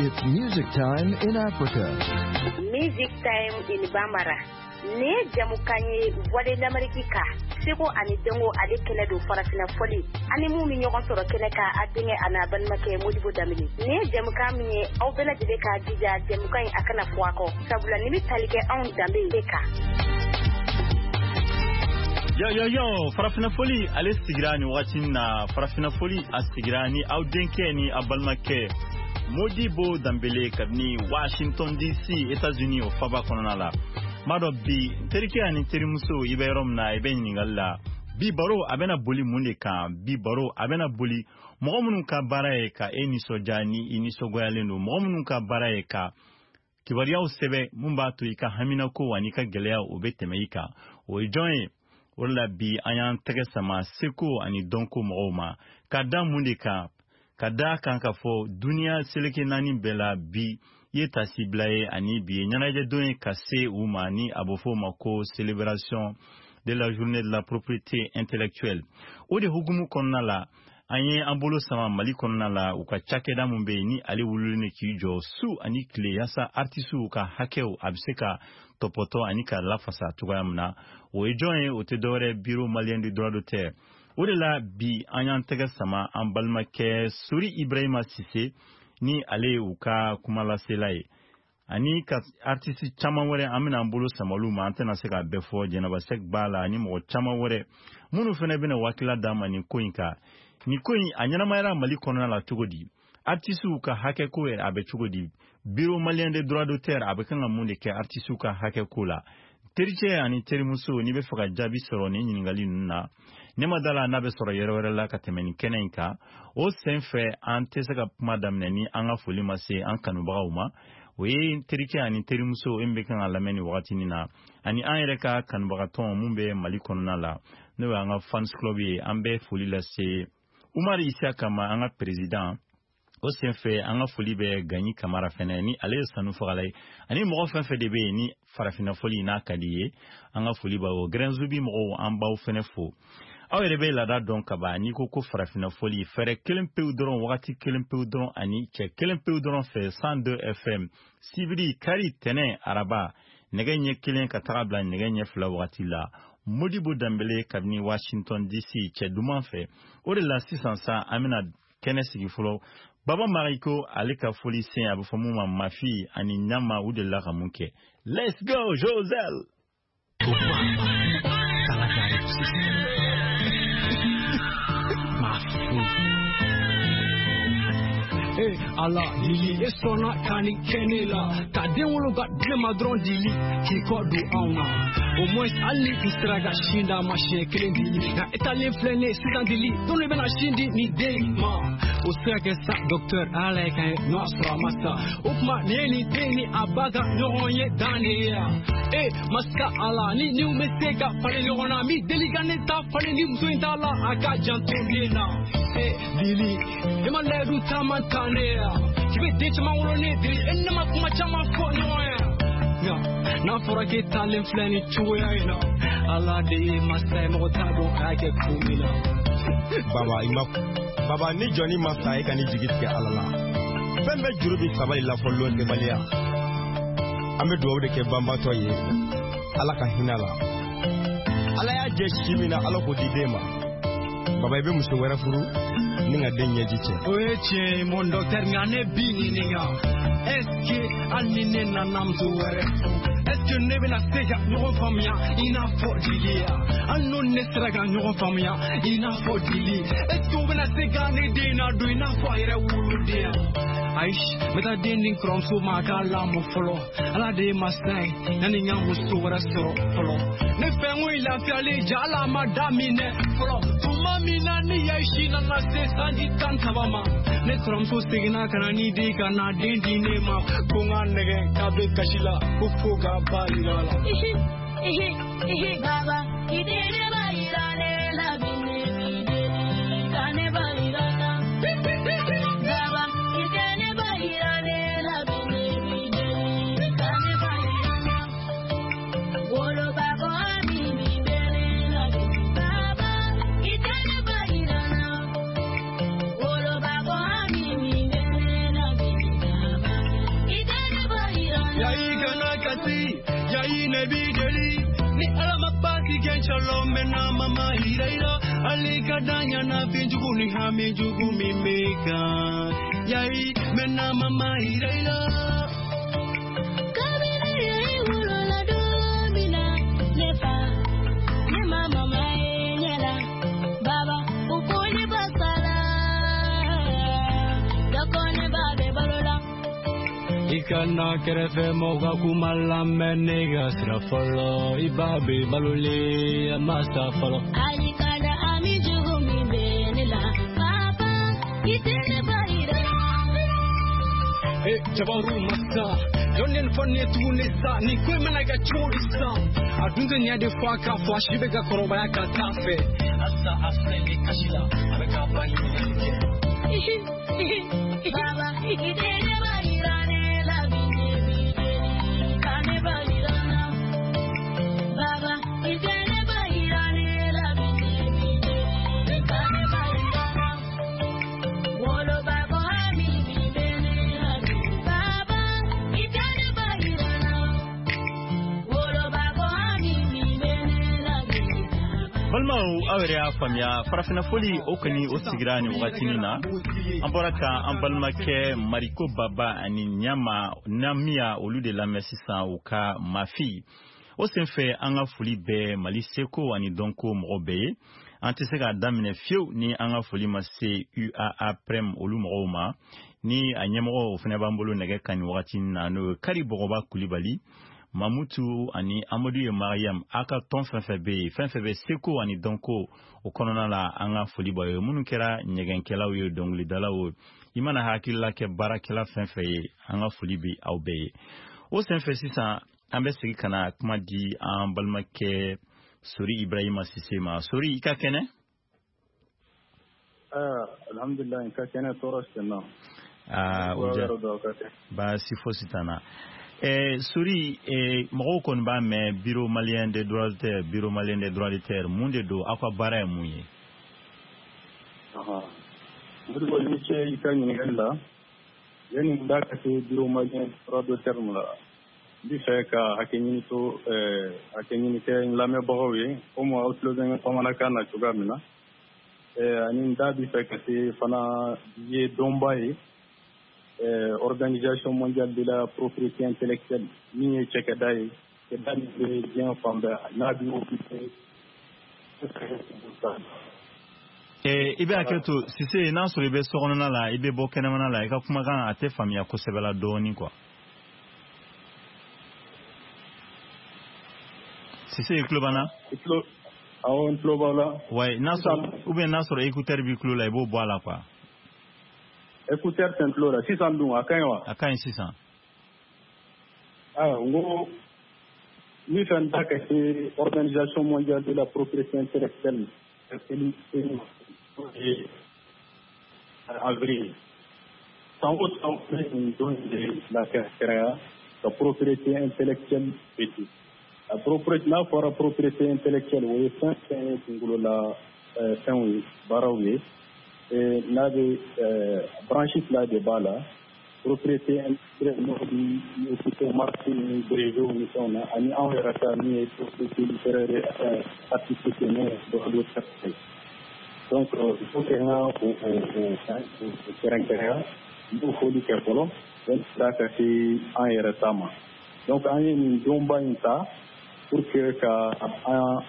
It's music time in Africa. Music time in Bambara. Nin ye jamukan ye Voix de l'Amérique kan seko ani dɔnko ale kɛnɛ don farafinna fɔli ani mun bɛ ɲɔgɔn sɔrɔ kɛnɛ kan a denkɛ a n'a balimakɛ Modibo Danbele. Nin ye jamukan min ye aw bɛɛ lajɛlen k'a jija jamukan in a kana fɔ a kɔ sabula nin bɛ tali kɛ anw danbe de kan. Yo yo yo, farafinna fɔli ale sigira nin wagati na. Farafinna fɔli a sigira ni aw denkɛ ni aw balimakɛ Modibo Danbele kabini Washington DC, États-Unis, o faba kɔnɔna la. N b'a dɔn bi n terikɛ ani terimuso, i bɛ yɔrɔ min na, i bɛ ɲininkali la. Bi baro a bɛna boli mun de kan? Bi baro a bɛna boli mɔgɔ minnu ka baara ye ka e nisɔndiya ni i nisɔngoyalen don, mɔgɔ minnu ka baara ye ka kibaruyaw sɛbɛn mun b'a to i ka haminako ani i ka gɛlɛya o bɛ tɛmɛ i kan, o ye jɔn ye? O de la bi an y'an tɛgɛ sama seko ani dɔnko mɔgɔw ma. Ka da mun de kan? Ka da kan k'a fɔ duniya seleke naani bɛɛ la bi ye tasibila ye ani bi ye ɲɛnajɛdon ye ka se u ma, ni a bɛ fɔ o ma ko célébration de la journée de la propriété intellectuelle. O de hukumu kɔnɔna la, an ye an bolo sama Mali kɔnɔna la, u ka cakɛda mun bɛ yen ni ale wulilen don k'i jɔ su ani tile yaasa artisiw ka hakɛw a bɛ se ka tɔpɔtɔ ani ka lafasa cogoya min na. O ye jɔn ye? O tɛ dɔwɛrɛ, Bureau malien du droit d'auteur. O de la bi an y'an tɛgɛ sama an balimakɛ Sori Ibrahima Sise, ni ale ye u ka kumalasela ye, ani ka artiste caman wɛrɛ an bɛna an bolo sama olu ma. An tɛna se k'a bɛɛ fɔ, Jɛnɛba Sɛk b'a la ani mɔgɔ caman wɛrɛ minnu fana bɛna wakila d'an ma nin ko in kan. Nin ko in a ɲɛnamayara Mali kɔnɔna la cogo di? Artisiw ka hakɛko yɛrɛ a bɛ cogo di? Bureau malien des droits d'auteur a bɛ kan ka mun de kɛ artisiw ka hakɛko la? Tericɛ ani terimuso, n'i bɛ fɛ ka jaabi sɔrɔ nin ɲininkali ninnu na, ne ma da la n'a bɛ sɔrɔ yɔrɔ wɛrɛ la ka tɛmɛ nin kɛnɛ in kan. O sen fɛ, an tɛ se ka kuma daminɛ ni an ka foli ma se an kanubagaw ma. O ye terikɛ ani terimuso e min bɛ kan ka lamɛn nin wagatinin na, ani an yɛrɛ ka kanubagatɔn mun bɛ Mali kɔnɔna la, n'o y'an ka fans club ye. An bɛ foli lase Umar Isiyaka ma, an ka président. O senfɛ, an ka foli bɛ Gaɲi Kamara fɛnɛ, ni ale ye sanu fagala ye, ani mɔgɔ fɛn fɛn de bɛ yen ni farafinna fɔli n'a ka di ye, an ka foli b'aw. Gɛrɛnzubi mɔgɔw, an b'aw fɛnɛ fo. Aw yɛrɛ bɛ laada dɔn kaban, n'i ko ko farafinna fɔli, fɛɛrɛ kelen pewu dɔrɔn, wagati kelen pewu dɔrɔn, ani cɛ kelen pewu dɔrɔn fɛ, 102 FM, sibiri, kari, tɛnɛ, araba, nɛgɛ ɲɛ 1 ka taga bila nɛgɛ ɲɛ 2 wagati la, Modibo Danbele kabini Washington DC, cɛ duman fɛ. O de la sisan sa an bɛna kɛnɛ sigi fɔlɔ. Baba Mariko ale ka foli sen, a bɛ fɔ mun ma Mafi ani Ɲama, u delila ka mun kɛ? Let's go, Josel. Hey, ala dili e sɔnna ka nin kɛ ne la ka den wolo ka di ne ma dɔrɔn, dili k'i kɔ don anw na, au moins hali ni i sera ka sin d'a ma siɲɛ kelen, dili. Nka e talen filɛ ne sisan, dili, don de bɛna sin di nin den ma? O se ka kɛ sa, docteur, ala ye kan ye n'o y'a sɔrɔ a ma sa. O tuma nin ye nin den ni a ba ka ɲɔgɔn ye dan de ye wa? E masa ala, ni niw bɛ se ka falen ɲɔgɔn na, min deli ka ne ta falen ni muso in t'a la, a ka janto den na. E dili, e ma layidu caman ta ne ye k'i bɛ den caman wolo ne, dili, e ne ma kuma caman fɔ ɲɔgɔn ye. Nka n'a fɔra k'e talen filɛ nin cogoya in na, ala de ye masa ye, mɔgɔ t'a dɔn a y'a kɛ kun min na. Baba, i ma baba ni jɔnni ma sa, e ka ni jigi tigɛ ala la. Fɛn bɛɛ juru bɛ sabali la fɔ lon tɛbaliya. An bɛ dugawu de kɛ banbatɔ ye, ala ka hinɛ la. Ala y'a jɛ si min na, ala k'o di den ma. Baba, i bɛ muso wɛrɛ furu ni ka den ɲɛji cɛ. O ye tiɲɛ ye, mon docteur, nka ne b'i ɲininka, est ce que hali ni ne nana muso wɛrɛ furu, est ce que ne bɛna se ka ɲɔgɔn faamuya i n'a fɔ dili ya? Hali n'o ne sera ka ɲɔgɔn faamuya i n'a fɔ dili, est ce que o bɛna se ka ne den ladon i n'a fɔ a yɛrɛ woloden ya? Ayi, n bɛ taa den di n kɔrɔmuso ma a k'a lamɔ fɔlɔ. Ala de ye masa ye, yanni n ka muso wɛrɛ sɔrɔ fɔlɔ. Ne fɛ n ko i lafiyalen ja, ala ma daminɛ fɔlɔ. Tuma min na ni Yaisi nana se sanji 13 ma, ne kɔrɔmuso seginna ka na ni den ka na den di ne ma, ko n ka nɛgɛ k'a bɛ kasi la, ko fo k'a ba yira la. Baba, i den ne ba yira ne la bi, ne bi deli ka ne ba yira la. Baba, i den ne ba yira ne la bi, ne bi deli ka ne ba yira la. Woloba ko ami mi bere la bi. Baba, i den ne ba yira la. Woloba ko ami mi bere la bi. Baba, Ne b'i deli ni Ala ma baasi kɛ ncalo n bɛ na mama yira i la. Hali ka da ɲɛnafin jugu ni hami jugu min b'i kan. Yayi n bɛ na mama yira i la. Kabini i wolola don min na, ne fa, ne ma mama ye ɲɛ la. Baba, u ko ne ba sala, dɔ ko ne ba bɛ balo la. I kana kɛrɛfɛ mɔgɔw ka kuma lamɛn ne ka sira fɔlɔ i ba bɛ balolen a ma sa fɔlɔ. Hali ka da hami jugu min bɛ ne la, papa, i tɛ ne ba yira. Eh, jabaru masa jɔn ye nin fɔ nin ye tuguni sa nin ko in mana kɛ cogo di sisan a dun tɛ ɲɛ de fɔ a k'a fɔ a si bɛ ka kɔrɔbaya ka taa fɛ halisa a filɛ nin kasi la a bɛ k'a ba ɲininkali kɛ. Baba, i tɛ ne ba yira ne la bi ne b'i deli ka ne ba yira n na. Baba, i tɛ ne ba yira ne la bi ne b'i deli ka ne ba yira n na. Woloba ko hami min bɛ ne la bi. Baba, i tɛ ne ba yira n na. Woloba ko hami min bɛ ne la bi. Balimaw, aw yɛrɛ y'a faamuya farafinna foli o kɔni o sigira nin wagatinin na. An bɔra ka an balimakɛ Mariko Baba ani Ɲama Namiya olu de lamɛn sisan u ka Mafi. O senfɛ an ka foli bɛ Mali seko ani dɔnko mɔgɔ bɛɛ ye. An tɛ se k'a daminɛ fiyewu ni an ka foli ma se UAA Prem olu mɔgɔw ma. Ni a ɲɛmɔgɔ o fana b'an bolo nɛgɛ kan nin wagati na n'o ye Kari Bɔgɔba Kulibali, Mamutu ani Amadu ye Mariam a ka tɔn fɛn fɛn bɛ yen fɛn fɛn bɛ seko ani dɔnko o kɔnɔna la an ka foli b'aw ye minnu kɛra ɲɛgɛnkɛlaw ye dɔnkilidalaw ye i mana hakilila kɛ baarakɛla fɛn fɛn ye an ka foli bɛ aw bɛɛ ye. O senfɛ sisan an bɛ segin ka na kuma di an balimakɛ Sori Ibrahima Sise ma. Sori, i ka kɛnɛ? Alhamdulillah, n ka kɛnɛ tɔɔrɔ sen na. Aa, o diya baasi fosi t'an na. Sori, mɔgɔw kɔni b'a mɛn Bureau malien des droits d'auteur, Bureau malien des droits d'auteur mun de don, aw ka baara ye mun ye? Modibo, i ni ce i ka ɲininkali la. Yanni n da ka se Bureau malien des droits d'auteur la, n bɛ fɛ ka hakɛ ɲini to hakɛ ɲini kɛ n lamɛnbagaw ye komi aw tulo bɛ n ka bamanankan na cogoya min na. Ani n da bɛ fɛ ka se fana ye dɔnba ye. Organisation mondiale de la propriété intellectuelle min ye cakɛda ye cakɛda min bɛ diɲɛ fan bɛɛ n'a bɛ occupé. I bɛ hakɛ to Sise, n'a sɔrɔ i bɛ sokɔnɔna la i bɛ bɔ kɛnɛmana la i ka kumakan a tɛ faamuya kosɛbɛ la dɔɔnin quoi. Sise, i tulo b'an na? Awɔ, n tulo b'aw la. Ouais, n'a sɔrɔ ou bien n'a sɔrɔ écouteur b'i tulo la i b'o bɔ a la quoi. Écouteur tɛ n tulo la sisan dun a ka ɲi wa? A ka ɲi sisan. N ko n bɛ fɛ n da ka se Organisation mondiale de la propriété intellectuelle avril san o san bɛ nin don in de la kɛrɛnkɛrɛnya ka propriété intellectuelle fêter. A propriété n'a fɔra propriété intellectuelle o ye fɛn fɛn ye kunkolola fɛnw ye baaraw ye. N'a bɛ branche fila de b'a la propriété intellectuelle n'o bɛ occupé marque ni brevet ni fɛnw na ani anw yɛrɛ ta min ye propriété littéraire artistique n'o ye droit d'auteur ye. Donc il faut que n ka o kɛrɛnkɛrɛnya n b'o foli kɛ fɔlɔ donc da ka se an yɛrɛ ta ma. Donc an ye nin donba in ta pour que ka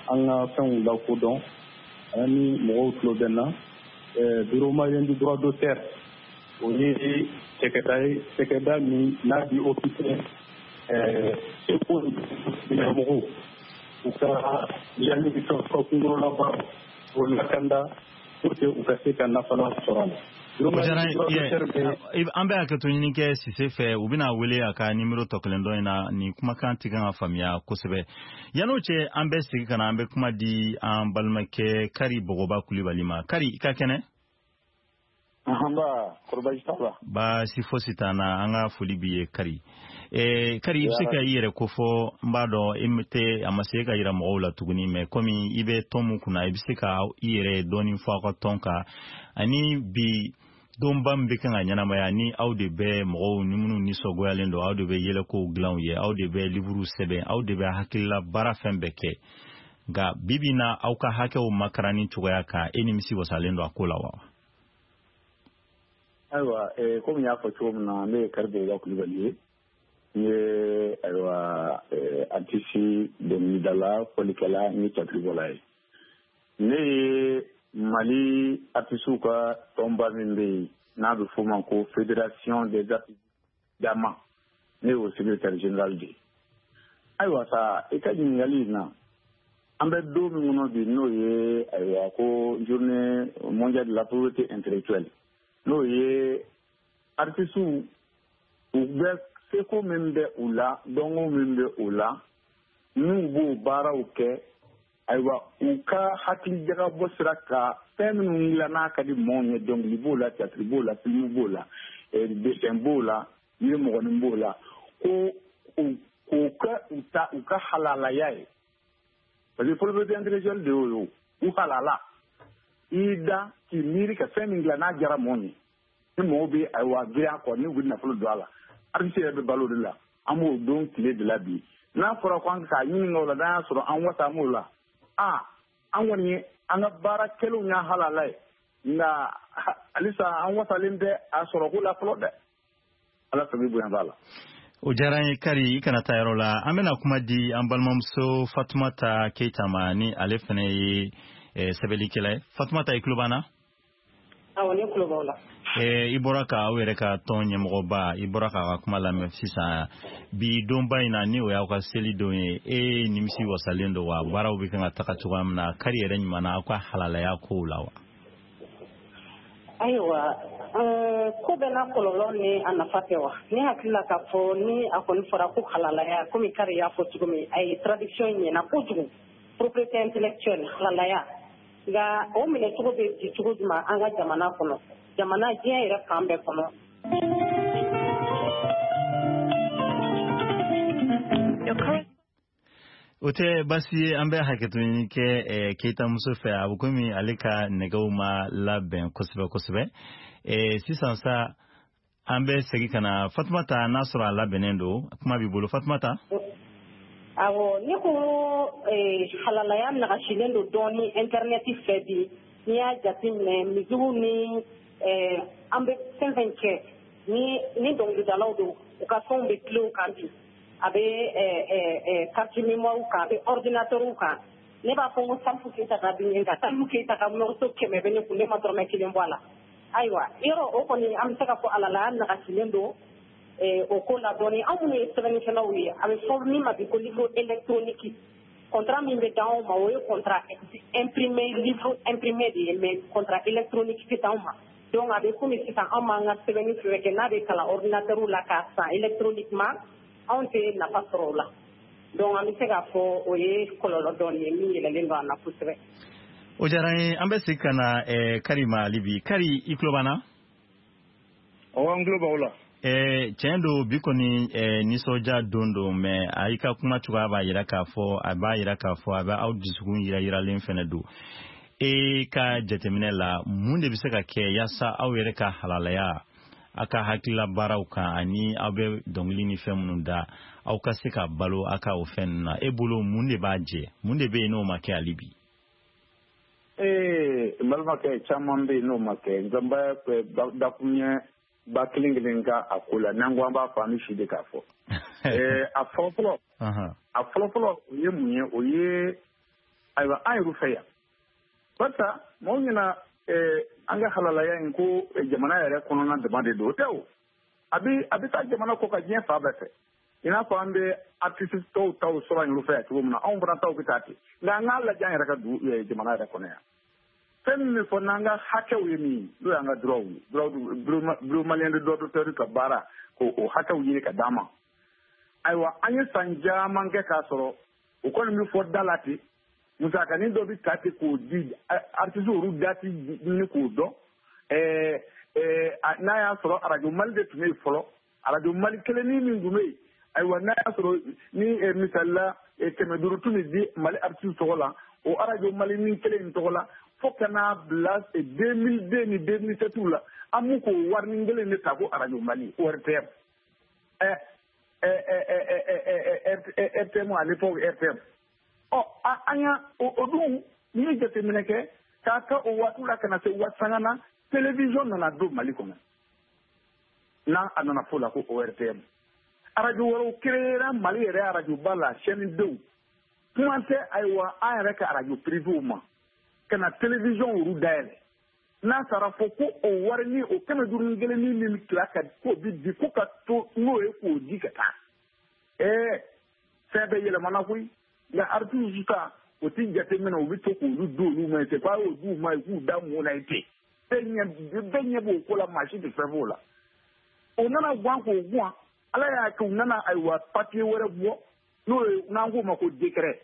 an ka fɛnw lakodɔn ani mɔgɔw tulo bɛ n na. Bureau malien du droit d'auteur o ye cakɛda ye cakɛda min n'a bɛ occupé seko mɔgɔw u ka yanni ka kunkolola baaraw o lakanda pour que u ka se ka nafalan sɔrɔ a la. An bɛ hakɛto ɲini kɛ Sise fɛ u bɛna wele a ka nimero tɔ kelen dɔ in na nin kumakan tɛ kan ka faamuya kosɛbɛ. Yan'o cɛ an bɛ segin ka na an bɛ kuma di an balimakɛ Kari Bɔgɔba Kulibali ma. Kari, i ka kɛnɛ? Nba, kɔrɔ baasi t'a la. Baasi fosi t'an na, an ka foli b'i ye Kari. Kari, i bɛ se ka i yɛrɛ kofɔ n b'a dɔn e tɛ a ma se ka yira mɔgɔw la tuguni mais komi i bɛ tɔn mun kunna i bɛ se ka i yɛrɛ dɔɔni fɔ aw ka tɔn kan ani bi Donba min bɛ kan ka ɲɛnamaya, ni aw de bɛ mɔgɔw ni minnu nisɔngoyalen don, aw de bɛ yɛlɛkow dilan u ye, aw de bɛ liburuw sɛbɛn, aw de bɛ hakilila baara fɛn bɛɛ kɛ, nka bi bi na aw ka hakɛw makaranni cogoya kan, e nimisi wasalen don a ko la wa? Ayiwa, komi n y'a fɔ cogo min na, ne ye Kari Bogoba Kulubali ye. N ye, ayiwa, artiste, dɔnkilidala, fɔlikɛla ni théâtre ye. Ne ye Mali artistew ka tɔnba min bɛ yen n'a bɛ f'o ma ko Fédération des artistes dama, ne y'o secrétaire général de ye. Ayiwa sa, i ka ɲininkali in na, an bɛ don min kɔnɔ bi, n'o ye, ayiwa, ko Journée mondiale de la propriété intellectuelle, n'o ye artistew u bɛ seko min bɛ u la, dɔnko min bɛ u la, n'u b'o baaraw kɛ, ayiwa, u ka hakilijagabɔ sira ka fɛn minnu dilan n'a ka di maaw ye, dɔnkili b'o la, théâtre b'o la, film b'o la, dessin b'o la, yiri b'o la, ko k'o kɛ u ta u ka halalaya ye, parce que propriété intellectuelle de y'o ye. O u halala i y'i da k'i miiri ka fɛn min dilan n'a diyara mɔgɔw ye, ni mɔgɔw bɛ, ayiwa, girin a kɔ, ni u bɛ nafolo don a la, artiste yɛrɛ bɛ balo o de la. An b'o don tile de la bi. N'a fɔra ko an k'a ɲininka o la, n'an y'a sɔrɔ an wasa an b'o la, aa, an kɔni ye an ka baara kɛlenw y'a halala ye, nka halisa an wasalen tɛ a sɔrɔko la fɔlɔ dɛ. Ala fɛ, bonya b'a la. O diyara n ye. Kari, i kana taa yɔrɔ la, an bɛna kuma di an balimamuso Fatumata Keyita ma, ni ale fana ye sɛbɛnnikɛla ye. Fatumata, i tulo b'an na? Awɔ, ne tulo b'aw la. I bɔra ka aw yɛrɛ ka tɔn ɲɛmɔgɔba, i bɔra k'a ka kuma lamɛn sisan. Bi donba in na, ni o y'aw ka seli don ye, e nimisi wasalen don wa? Baaraw bɛ kan ka taga cogoya min na, Kari yɛrɛ ɲuman na, aw ka halalaya kow la wa? Ayiwa, ko bɛɛ n'a kɔlɔlɔ ni a nafa tɛ wa? Ne hakili la k'a fɔ ni a kɔni fɔra ko halalaya, komi Kari y'a fɔ cogo min, a ye traduction ɲɛna kojugu, propriété intellectuelle, halalaya, nka o minɛcogo bɛ di cogo jumɛn an ka jamana kɔnɔ, jamana diɲɛ yɛrɛ fan bɛɛ kɔnɔ? O tɛ baasi ye, an bɛ hakɛto ɲini kɛ Keyita muso fɛ, a bɛ komi ale ka nɛgɛw ma labɛn kosɛbɛ kosɛbɛ. Sisan sa, an bɛ segin ka na Fatumata, n'a sɔrɔ a labɛnnen don. Kuma b'i bolo, Fatumata. Awɔ, ne ko halalaya nagasilen don dɔɔni internet fɛ bi. N'i y'a jateminɛ, musique ni an bɛ fɛn fɛn kɛ, ni dɔnkilidalaw don, u ka fɛnw bɛ clé kan bi, a bɛ carte mémoire kan, a bɛ ordinateur kan. Ne b'a fɔ ko Salifu Keyita ka bin kan, Salifu Keyita ka morceau 100 bɛ ne kun, ne ma dɔrɔmɛ kelen bɔ a la. Ayiwa, yɔrɔ o kɔni, an bɛ se ka fɔ halalaya nagasilen don o ko la dɔɔni. Anw minnu ye sɛbɛnnikɛlaw ye, a bɛ fɔ min ma bi ko livre électronique, contrat min bɛ d'anw ma, o ye contrat imprimé, livre imprimé de ye, mais contrat électronique tɛ d'anw ma. Donc a bɛ komi sisan anw b'an ka sɛbɛnni fɛn kɛ n'a bɛ kalan ordinateur la k'a san électroniquement, anw tɛ nafa sɔrɔ o la. Donc an bɛ se k'a fɔ o ye kɔlɔlɔ dɔɔni ye min yɛlɛlen don an na kosɛbɛ. O diyara n ye. An bɛ segin ka na Kari ma hali bi. Kari, i tulo b'an na? Awɔ, n tulo b'aw la. Tiɲɛ don, bi kɔni nisɔndiya don don, mais a i ka kuma cogoya b'a yira k'a fɔ a b'a yira k'a fɔ a bɛ aw dusukun yira yiralen fɛnɛ don. E ka jateminɛ la, mun de bɛ se ka kɛ yaasa aw yɛrɛ ka halalaya aw ka hakilila baaraw kan, ani aw bɛ dɔnkili ni fɛn minnu da, aw ka se ka balo aw ka o fɛn ninnu na? E bolo, mun de b'a jɛ? Mun de bɛ yen n'o ma kɛ hali bi? Ee, n balimakɛ, caman bɛ yen n'o ma kɛ, nka n bɛ dakuruɲɛ ba kelen kelen ka a ko la. N'an ko an b'a fɔ, an bɛ si de k'a fɔ. A fɔlɔfɔlɔ, a fɔlɔfɔlɔ, o ye mun ye? O ye, ayiwa, an yɛrɛ fɛ yan, barisa mɔgɔw ɲɛna an ka halalaya in ko jamana yɛrɛ kɔnɔna dama de don. O tɛ o, a bɛ taa jamana kɔ ka diɲɛ fan bɛɛ fɛ. I n'a fɔ an bɛ artiste tɔw taw sɔrɔ an yɛrɛ fɛ yan cogo min na, anw fana taw bɛ taa ten. Nka an k'a lajɛ an yɛrɛ ka dugu, jamana yɛrɛ kɔnɔ yan, fɛn min bɛ fɔ n'an ka hakɛw ye min ye, n'o y'an ka droit ye, Bureau malien de droit d'auteur ka baara k'o hakɛw ɲini ka d'an ma. Ayiwa, an ye san caman kɛ k'a sɔrɔ o kɔni bɛ fɔ da la ten. Musakanin dɔ bɛ ta ten k'o di artiste olu da ti ɲini k'o dɔn. N'a y'a sɔrɔ Arajo Mali de tun bɛ yen fɔlɔ, Arajo Mali kelennin min tun bɛ yen, ayiwa, n'a y'a sɔrɔ ni misali la 500 tun bɛ di Mali artiste tɔgɔ la, o Arajo Mali ni kelen in tɔgɔ la. Fo ka n'a bila 2002 ni 2007 la, an m'u k'o warinin kelen de ta ko Arajo Mali, ORTM, RTM à l'époque, RTM. Ɔ, an y'a o dun, n'i ye jateminɛ kɛ k'a ta o waati la ka na se waati sanga na, télévision nana don Mali kɔnɔ, n'a a nana fo la ko ORTM. Arajo wɛrɛw créera Mali yɛrɛ arajoba la, chaîne denw kuma tɛ. Ayiwa, an yɛrɛ ka arajo privéw ma ka na télévision olu dayɛlɛ, n'a taara fɔ ko o wari ni o 501 ni min tila ka k'o bi di, ko ka to n'o ye k'o di ka taa. Ɛɛ, fɛn bɛɛ yɛlɛmana koyi. Nka artistes ta, o ti jateminɛ, u bɛ to k'olu di olu ma yen ten, k'a y'o d'u ma yen k'u da mun na yen ten. Bɛɛ ɲɛ b'o ko la, maa si tɛ fɛn f'o la. O nana guwan k'o guwan, Ala y'a kɛ u nana, ayiwa, papier wɛrɛ bɔ, n'o ye n'an k'o ma ko décret.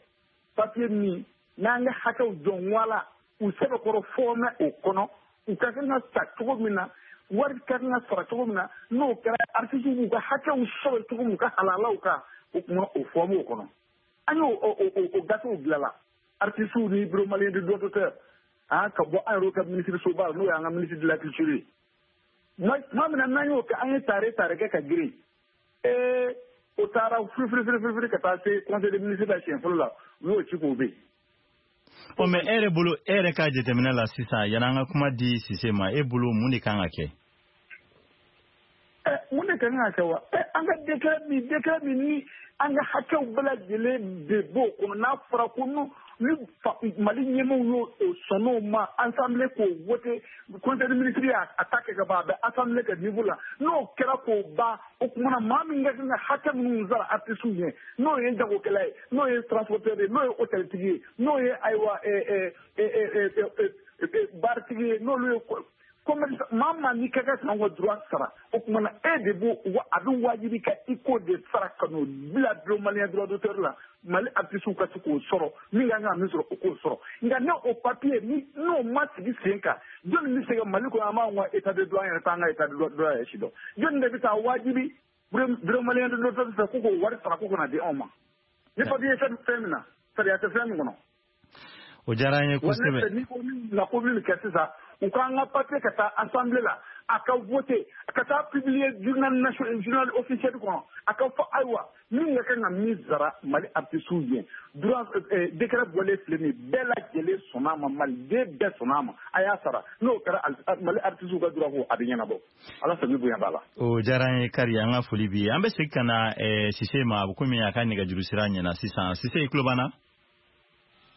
Papier min n'an ka hakɛw jɔn wala u sɛbɛkɔrɔ fɔmɛ o kɔnɔ, u ka kan ka ta cogo min na, wari ka kan ka sara cogo min na, n'o kɛra artistes b'u ka hakɛw sɔrɔ cogo min, u ka halalaw kan, o kuma o fɔmɛ o kɔnɔ. An y'o o gafew bilala artistes ni Bureau malien de droit d'auteur, ah, ka bɔ an yɛrɛw ka ministre soba la, n'o y'an ka ministre de la Culture ye. Tuma min na n'an y'o kɛ, an ye tare tare kɛ ka girin, ee, o taara firifiri firifiri firi ka taa se Conseil des ministres la siɲɛ fɔlɔ la, u y'o ci k'o bɛ yen. Ɔ, mais e yɛrɛ bolo, e yɛrɛ ka jateminɛ la sisan, yan'an ka kuma di Sise ma, e bolo mun de kan ka kɛ? Ɛ, mun de kan ka kɛ wa? Ɛ, an ka décret min ni an ka hakɛw bɛɛ lajɛlen de b'o kɔnɔ, n'a fɔra ko n'o ni Mali ɲɛmaaw y'o sɔnn'o ma, assemblée k'o voté, Conseil des ministres y'a ta kɛ ka ban, a bɛ assemblée ka niveau la, n'o kɛra k'o ban, o tuma na maa min ka kan ka hakɛ minnu sara artistes ɲɛ, n'o ye jagokɛla ye, n'o ye transporteur ye, n'o ye hôteltigi ye, n'o ye, ayiwa, baritigi ye, n'olu ye commerce, maa maa n'i ka kan k'an ka droit sara, o tuma na e de b'o a bɛ wajibi ka i k'o de sara ka n'o bila Bureau malien droit d'auteur la, Mali artistes ka se k'o sɔrɔ, min ka kan ka min sɔrɔ, o k'o sɔrɔ. Nka ne o papier ni n'o ma sigi sen kan, jɔnni bɛ se ka Mali kɔnɔ, an b'anw ka état de droit, an yɛrɛ t'an ka état de droit yɛrɛ si dɔn, jɔnni de bɛ taa wajibi Bureau malien de droit d'auteur fɛ ko k'o wari sara ko kana di anw ma, ni papier fɛn fɛn min na, sariya tɛ fɛn min kɔnɔ? O diyara an ye kosɛbɛ. Ni ko min na ko min kɛ sisan, u k'an ka papier ka taa assemblée la, a ka voter, ka taa publier journal national, journal officiel kɔnɔ, a ka fɔ, ayiwa, min ka kan ka min sara Mali artistes ye, droit décret bɔlen filɛ nin ye, bɛɛ lajɛlen sɔnn'a ma, maliden bɛɛ sɔnn'a ma, a y'a sara. N'o kɛra, Mali artistes ka droit ko a bɛ ɲɛnabɔ. Ala sago bonya b'a la. O diyara an ye Kari, an ka foli b'i ye. An bɛ segin ka na Sise ma, a bɛ komi a ka nɛgɛjuru sira ɲɛna sisan. Sise, i tulo b'an na?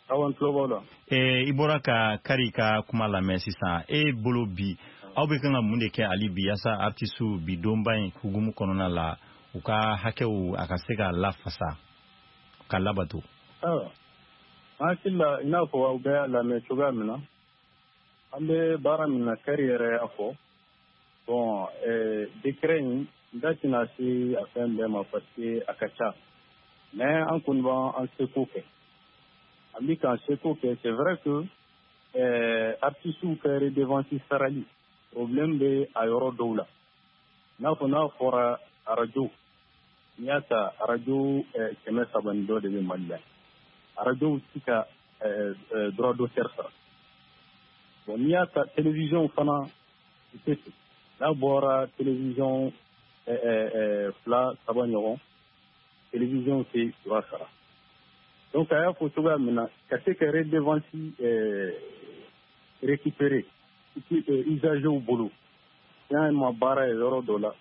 Awɔ, n tulo b'aw la. I bɔra ka Kari ka kuma lamɛn sisan. E bolo bi, aw bɛ kan ka mun de kɛ hali bi yaasa artistes bi donba in hukumu kɔnɔna la, u ka hakɛw a ka se ka lafasa ka labato? Ayiwa, an hakili la, i n'a fɔ aw bɛɛ y'a lamɛn cogoya min na, an bɛ baara min na, Kari yɛrɛ y'a fɔ. Bon, décret in, n da tɛna se a fɛn bɛɛ ma parce que a ka ca, mais an kɔni b'an seko kɛ, an bɛ k'an seko kɛ. C'est vrai que artistes ka redevance sarali problème bɛ a yɔrɔ dɔw la, i n'a fɔ n'a fɔra arajo, n'i y'a ta arajo 300 ni dɔ de bɛ Mali la, arajow ti ka droit d'auteur sara. Bon, n'i y'a ta télévision fana, i tɛ se n'a bɔra télévision fila saba ɲɔgɔn, télévision tɛ droit sara. Donc a y'a fɔ cogoya min na, ka se ka redevance récupérer usagers bolo, y'an ma baara ye yɔrɔ dɔ la,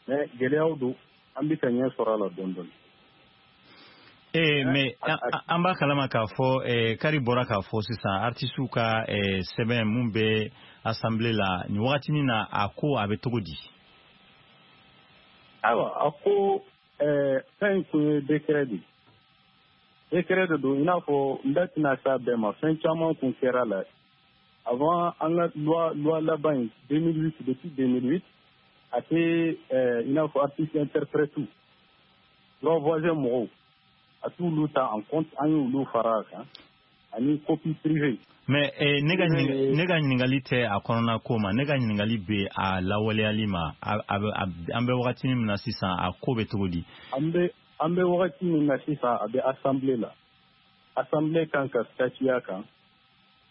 mais gɛlɛyaw don, an bɛ ka ɲɛ sɔrɔ a la dɔɔni dɔɔni. Ee, mais an b'a kalama k'a fɔ, Kari bɔra k'a fɔ sisan, artistes ka sɛbɛn mun bɛ assemblée la nin wagatinin na, a ko a bɛ cogo di? Ayiwa, a ko fɛn in kun ye décret de ye, décret de don, i n'a fɔ n da tɛna s'a bɛɛ ma, fɛn caman kun kɛra la avant an ka loi laban in 2008. Depuis 2008, a tɛ i n'a fɔ artiste interprète, droit voisin mɔgɔw, a t'olu ta en compte, an y'olu fara a kan, ani copie privée. Mais ne ka ɲininkali tɛ a kɔnɔna ko ma, ne ka ɲininkali bɛ a lawaleyali ma. An bɛ wagati min na sisan, a ko bɛ cogo di? An bɛ wagati min na sisan, a bɛ assemblée la, assemblée kan ka statuer a kan.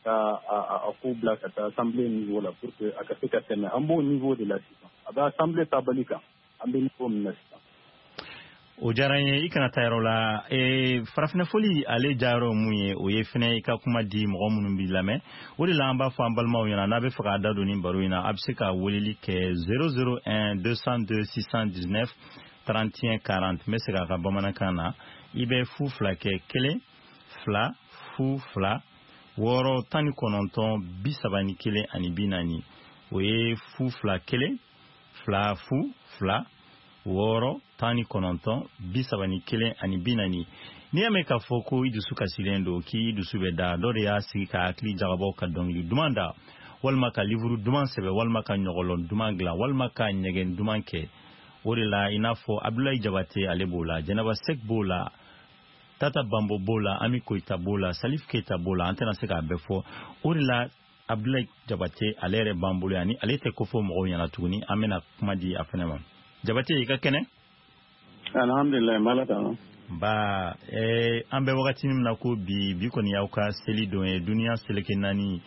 Ka a ko bila ka taa assemblée niveau la pour que a ka se ka tɛmɛ. An b'o niveau de la sisan, a bɛ assemblée tabali kan, an bɛ niveau min na sisan. O diyara n ye. I kana taa yɔrɔ la. Farafinna foli, ale diyayɔrɔ mun ye, o ye fɛnɛ i ka kuma di mɔgɔ minnu b'i lamɛn. O de la an b'a fɔ an balimaw ɲɛna, n'a bɛ fɛ k'a da don nin baro in na, a bɛ se ka weleli kɛ 001 202 619 31 40. N bɛ segin a ka bamanankan na: i bɛ 0 2 kɛ 1 2 0 2 6 19 31 ani 40. O ye 0 2 1 2 0 2 6 19 31 ani 40. N'i y'a mɛn k'a fɔ ko i dusu kasilen don, k'i dusu bɛ da, dɔ de y'a sigi ka hakili jagabɔ ka dɔnkili duman da, walima ka livuru duman sɛbɛ, walima ka ɲɔgɔlɔn duman dilan, walima ka ɲɛgɛn duman kɛ. O de la, i n'a fɔ Abdulayi Jabate, ale b'o la, Jɛnɛba Sek b'o la, Tata Bambo b'o la, Ami Koyita b'o la, Salif Keita b'o la, an tɛna se k'a bɛɛ fɔ. O de la, Abdulayi Jabate, ale yɛrɛ b'an bolo yan, ni ale tɛ ko fɔ mɔgɔw ɲɛna tuguni, an bɛna kuma di a fɛnɛ ma. Jabate, i ka kɛnɛ? Alhamdulilayi, n b'Ala tanu. Ba an bɛ wagati min na ko bi, bi kɔni y'aw ka seli don ye, duniya seleke naani.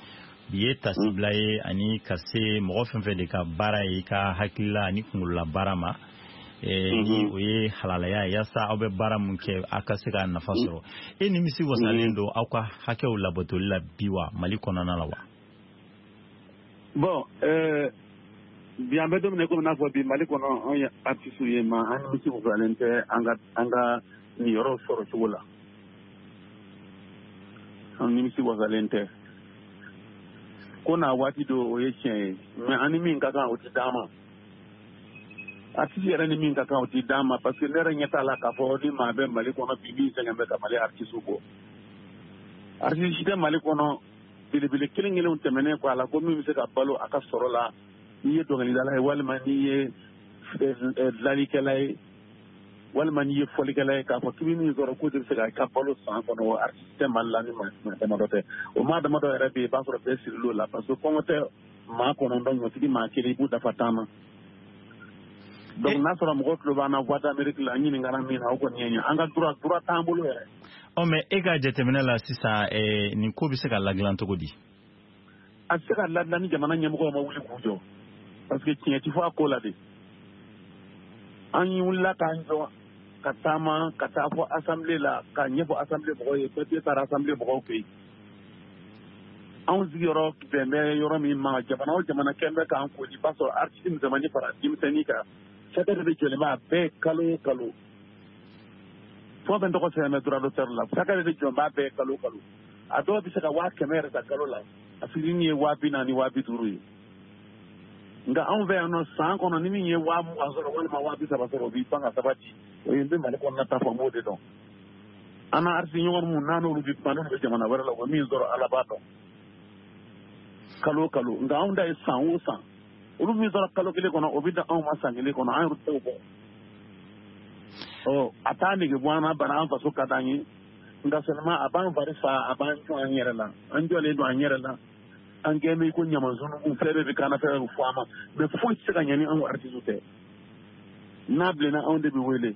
Bi ye tasibila ye ani ka se mɔgɔ fɛn fɛn de ka baara ye i ka hakilila ani kunkolola baara ma, ni o ye halalaya ye, yaasa aw bɛ baara mun kɛ, aw ka se ka nafa sɔrɔ. E nimisi wasalen don aw ka hakɛw labatoli la bi wa, Mali kɔnɔna la wa? Bon, bi an bɛ don min na, komi n'a fɔ bi Mali kɔnɔ, anw ye artistes ye, ma an nimisi wasalen tɛ an ka niyɔrɔ sɔrɔ cogo la. An nimisi wasalen tɛ ko n'a waati do, o ye tiɲɛ ye, mais an ni min ka kan, o tɛ d'an ma. Artiste yɛrɛ ni min ka kan, o tɛ d'an ma, parce que ne yɛrɛ ɲɛ t'a la k'a fɔ ni maa bɛ Mali kɔnɔ bi min sɛgɛn bɛ ka Mali artiste bɔ. Artiste si tɛ Mali kɔnɔ belebele kelen kelenw tɛmɛnen kɔ a la ko min bɛ se ka balo a ka sɔrɔ la. N'i ye dɔnkilidala ye, walima n'i ye dilanlikɛla ye, walima n'i ye fɔlikɛla ye, k'a fɔ k'i bɛ min sɔrɔ k'o de bɛ se ka balo san kɔnɔ, o artiste tɛ Mali la ni maa damadɔ tɛ. O maa damadɔ yɛrɛ bɛ yen, i b'a sɔrɔ bɛɛ siril'o la, parce que kɔngɔ tɛ maa 9 ɲɔtigi maa kelen, i b'u dafa 10 na. Donc n'a sɔrɔ mɔgɔw tulo b'an na Voix d'Amérique la, an ɲininkara min na, o kɔni ye ɲɛ an ka droit t'an bolo yɛrɛ. Ɔ, mais e ka jateminɛ la sisan, nin ko bɛ se ka ladilan cogo di? A tɛ se ka ladilan ni jamana ɲɛmɔgɔw ma wuli k'u jɔ, parce que tiɲɛ ti fɔ a ko la de. An wulila k'an jɔ ka taama ka taa fɔ assemblée la, k'a ɲɛfɔ assemblée mɔgɔw ye. Papier taara assemblée mɔgɔw fɛ yen. Anw sigiyɔrɔ bɛn bɛ yɔrɔ min ma, jamana o jamana kɛn bɛ k'an koli, i b'a sɔrɔ artiste misɛnmanin fara denmisɛnnin kan, cakɛ de bɛ jɔlen bɛ a bɛɛ kalo o kalo. Fɛn o fɛn tɔgɔ sɛbɛn bɛ droit d'auteur la, cakɛ de bɛ jɔn b'a bɛɛ kalo o kalo. A dɔw bɛ se ka 100 000 yɛrɛ ta kalo la, a fitinin ye 40 000, 50 000 ye. Nka anw fɛ yan nɔ, san kɔnɔ, ni min ye 20 000 sɔrɔ walima 30 000 sɔrɔ, o b'i pan ka sabati. O ye n bɛ Mali kɔnɔna ta fɔ, n b'o de dɔn. An na artiste ɲɔgɔn minnu n'an n'olu bɛ kuma, n'olu bɛ jamana wɛrɛ la, u bɛ min sɔrɔ, Ala b'a dɔn, kalo o kalo. Nka anw ta ye san o san. Olu min sɔrɔ kalo kelen kɔnɔ, o bɛ dan anw ma san kelen kɔnɔ. An yɛrɛ t'o bɔ. Ɔ, a t'a nege bɔ an na, bana an faso ka d'an ye, nka seulement a b'an fari fa, a b'an jɔ an yɛrɛ la. An jɔlen don an yɛrɛ la, an kɛn bɛ ko ɲamansunugu, fɛn bɛɛ bɛ k'an na, fɛn bɛɛ bɛ fɔ an ma, mais foyi tɛ se ka ɲɛ ni anw artiste tɛ. N'a bilenna, anw de bɛ wele.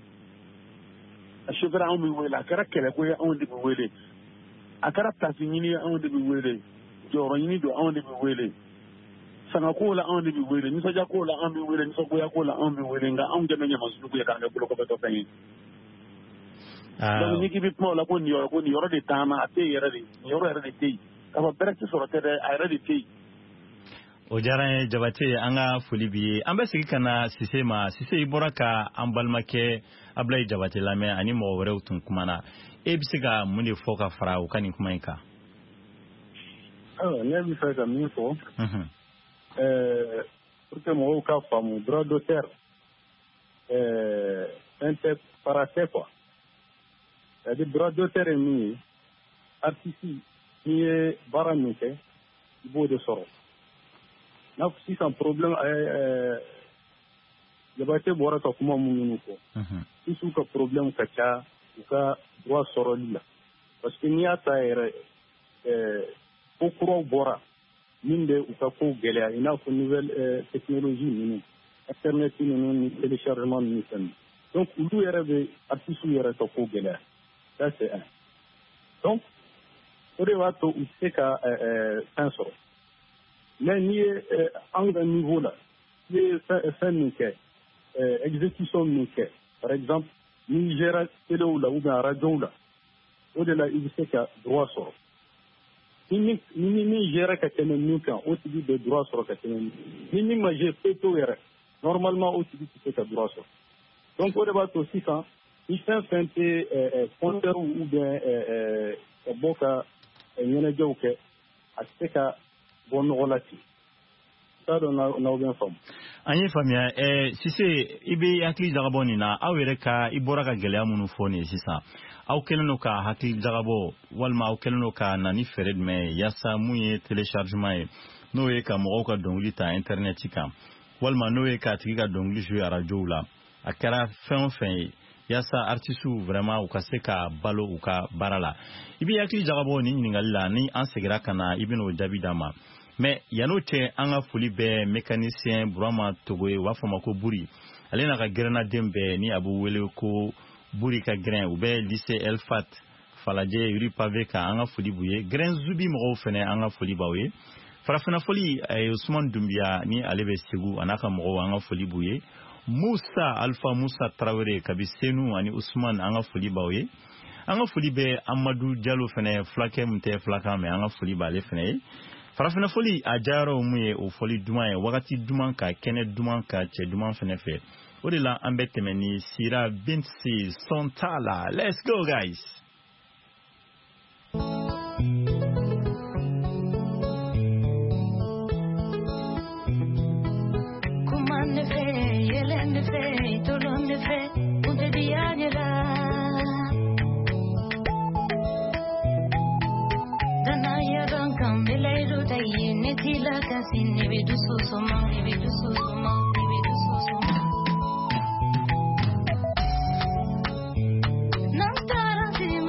A chauffeur, anw bɛ wele. A kɛra kɛlɛko ye, anw de bɛ wele. A kɛra place ɲini ye, anw de bɛ wele. Jɔyɔrɔ ɲini don, anw de bɛ wele. Sangako la, anw de bɛ wele. Nisɔndiyako la, anw bɛ wele. Nisɔngoyako la, anw bɛ wele. Nka anw kɛ bɛ ɲamansunugu ye k'an kɛ bolokɔfɛtɔ fɛn ye. Donc n'i k'i bɛ kuma o la ko nin yɔrɔ, ko nin yɔrɔ de t'an na, a tɛ yen yɛrɛ de. Nin yɔrɔ yɛrɛ de tɛ yen. K'a fɔ bɛrɛ tɛ sɔrɔ tɛ dɛ, a yɛrɛ de tɛ yen. O diyara n ye, Jabate, an ka foli b'i ye. An bɛ segin ka na Sise ma. Sise, i bɔra ka an balimakɛ Abulayi Jabate lamɛn, ani mɔgɔ wɛrɛw tun kumana. E bɛ se ka mun de fɔ ka fara u ka nin kuma in kan? Ayiwa, ne bɛ fɛ ka min fɔ, pour que mɔgɔw ka faamu, droit d'auteur fɛn tɛ, fara tɛ quoi. C'est à dire, droit d'auteur ye min ye, artiste, n'i ye baara min kɛ, i b'o de sɔrɔ. N'a sisan problème, Jabate bɔra ka kuma minnu fɔ sisan, ka problème ka ca u ka droit sɔrɔli la, parce que n'i y'a ta yɛrɛ, ko kuraw bɔra min bɛ u ka kow gɛlɛya, i n'a fɔ nouvelle technologie ninnu, internet ninnu ni téléchargement ninnu, fɛn ninnu. Donc olu yɛrɛ bɛ artistes yɛrɛ ka ko gɛlɛya. Ça, c'est un. Donc O de b'a to u tɛ se ka fɛn sɔrɔ. Mais n'i ye anw ka niveau la, i ye fɛn min kɛ, exécution min kɛ, par exemple n'i gérera téléw la ou bien radiow la, o de la i bɛ se ka droit sɔrɔ. Ni min gérera ka tɛmɛ min kan, o tigi bɛ droit sɔrɔ ka tɛmɛ min. Ni min ma gérer pewu yɛrɛ, normalement o tigi tɛ se ka droit sɔrɔ. Donc o de b'a to sisan ni fɛn fɛn tɛ concert ou bien ka bɔ ka ɲɛnajɛw kɛ, a tɛ se ka bɔ nɔgɔ la ten. T'a dɔn n'aw bɛ n faamu. An ye faamuya. Sise, i bɛ hakili jagabɔ nin na, aw yɛrɛ ka i bɔra ka gɛlɛya minnu fɔ nin ye sisan, aw kɛlen don ka hakili jagabɔ walima aw kɛlen don ka na ni fɛɛrɛ jumɛn ye yaasa mun ye téléchargement ye, n'o ye ka mɔgɔw ka dɔnkili ta internet kan, walima n'o ye k'a tigi ka dɔnkili jouer arajow la, a kɛra fɛn o fɛn ye, yaasa artisiw vraiment u ka se ka balo u ka baara la? I bɛ hakili jagabɔ nin ɲininkali la, ni an seginna ka na, i bɛn'o jaabi d'an ma. Mais yan'o cɛ, an ka foli bɛ mécanicien Burama Togo ye, u b'a fɔ a ma ko Buri, ale n'a ka gɛrɛnnaden bɛɛ ni a b'u wele ko Buri ka gɛrɛn, u bɛ lycée El Fat Falajɛ rue Pavé kan, an ka foli b'u ye. Gɛrɛn Zubi mɔgɔw fɛnɛ, an ka foli b'aw ye. Farafinna foli, Usman Dunbiya ni ale bɛ Segu, a n'a ka mɔgɔw, an ka foli b'u ye. Musa Alpha Musa Tarawele kabi Senu ani Usman, an ka foli b'aw ye. An ka foli bɛ Amadu Jalo fɛnɛ, fulakɛ min tɛ fulakan mɛn, an ka foli b'ale fɛnɛ ye. Farafinna foli a diyayɔrɔ mun ye, o fɔli duman ye, wagati duman ka kɛnɛ duman ka cɛ duman fɛnɛ fɛ. O de la an bɛ tɛmɛ ni Sira Binsi Sontala. Let's go guys. Kuma ne fɛ, yɛlɛ ne fɛ, tolon ne fɛ, kun tɛ diya ne la. Danaya kan kan bɛ layidu ta i ye, ne t'i lakasi, ne bɛ dusu suma, ne bɛ dusu suma, ne bɛ dusu suma. N'an taara sini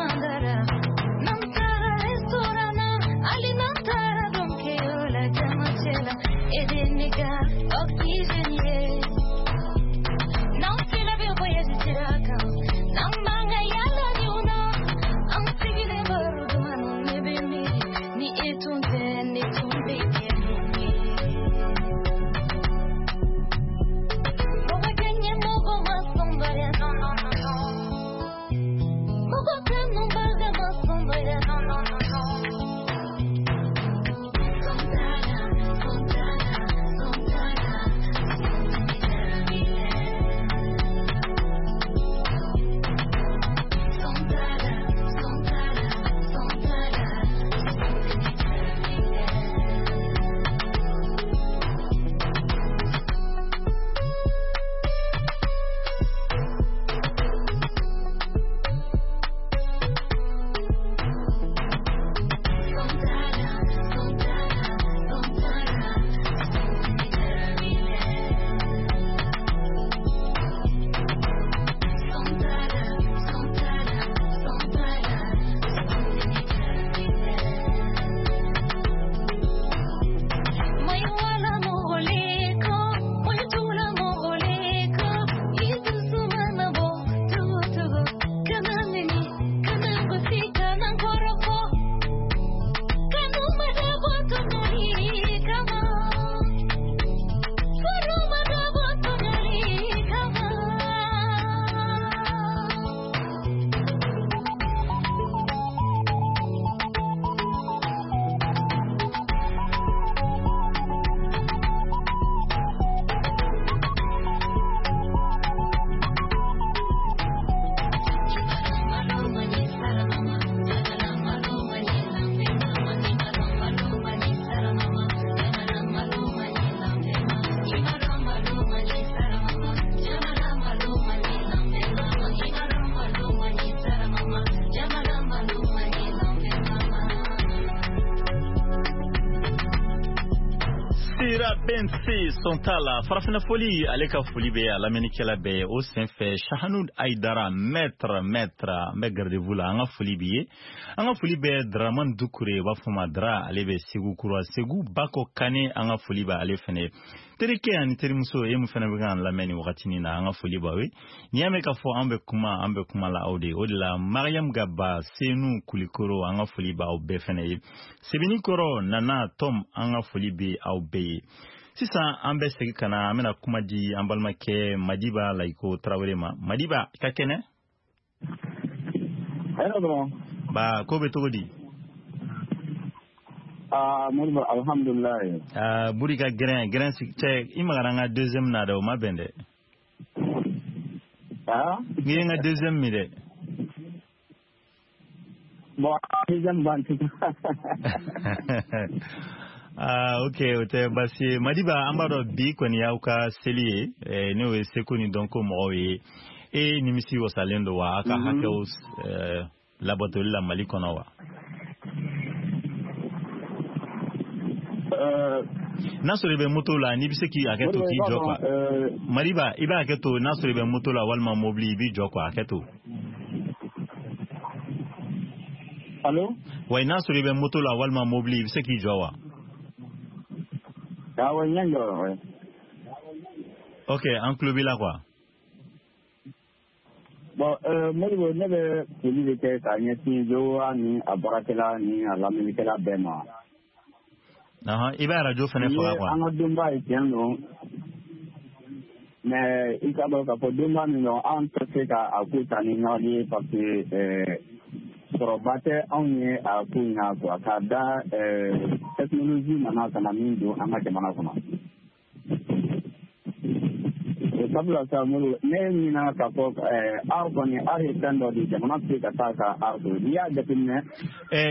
NC Sontala farafinna foli ale ka foli bɛ a lamɛnnikɛla bɛɛ ye. O senfɛ Shahanud Aidara, maître an bɛ garde-vous la, an ka foli b'i ye. An ka foli bɛ Dramane Dukure, u b'a fɔ ma Dra, ale bɛ Segu kura, Segu Bako Kane, an ka foli bɛ ale fɛnɛ ye. Terikɛ ani terimuso e mun fɛnɛ bɛ k'an lamɛn nin wagatinin na, an ka foli b'aw ye. N'i y'a mɛn k'a fɔ an bɛ kuma, an bɛ kuma la aw de ye. O de la Mariam Gaba, Senu Kulikoro, an ka foli b'aw bɛɛ fɛnɛ ye. Sebenikɔrɔ Nana Tom, an ka foli bɛ aw bɛɛ ye. Sisan an bɛ segin ka na, an bɛna kuma di an balimakɛ Madiba Layiko Tarawele ma. Madiba, i ka kɛnɛ? Hɛrɛ dɔrɔn. Ba, ko bɛ cogo di? Aa Modibo, alhamdulilayi. Aa Buri ka gɛrɛn cɛ, i magara n ka deuxième na dɛ, o ma bɛn dɛ. Aa? N'i ye n ka deuxième min dɛ. Bon, deuxième ban tugun. Ah, ok, o tɛ baasi ye. Madiba, an b'a dɔn bi kɔni y'aw ka seli ye, n'o ye seko ni dɔnko mɔgɔw ye. E nimisi wasalen don wa, a ka hakɛw labatoli la Mali kɔnɔ wa? N'a sɔrɔ i bɛ moto la, n'i bɛ se k'i hakɛ to k'i jɔ quoi. Madiba, i b'a hakɛ to, n'a sɔrɔ i bɛ moto la walima mobili, i b'i jɔ quoi, hakɛ to. Allo? Wa n'a sɔrɔ i bɛ moto la walima mobili, i bɛ se k'i jɔ wa? Awɔ, n y'a jɔ, ouais. Ok, an tulo b'i la quoi. Bon, Modibo, ne bɛ foli de kɛ k'a ɲɛsin VOA ni a baarakɛla ni a lamɛnnikɛla bɛɛ ma. I bɛ arajo fɛnɛ faga quoi. An ka donba ye tiɲɛ don, mais i k'a dɔn k'a fɔ donba min don, an tɛ se ka a ko ta ni ɲɔgɔn ye parce que sɔrɔba tɛ anw ye a ko in na quoi, k'a da technologie nana ka na min don an ka jamana kɔnɔ. O sabula sa Modibo, ne ɲinana k'a fɔ art kɔni, art ye fɛn dɔ de ye, jamana tɛ se ka taa ka art to. N'i y'a jateminɛ.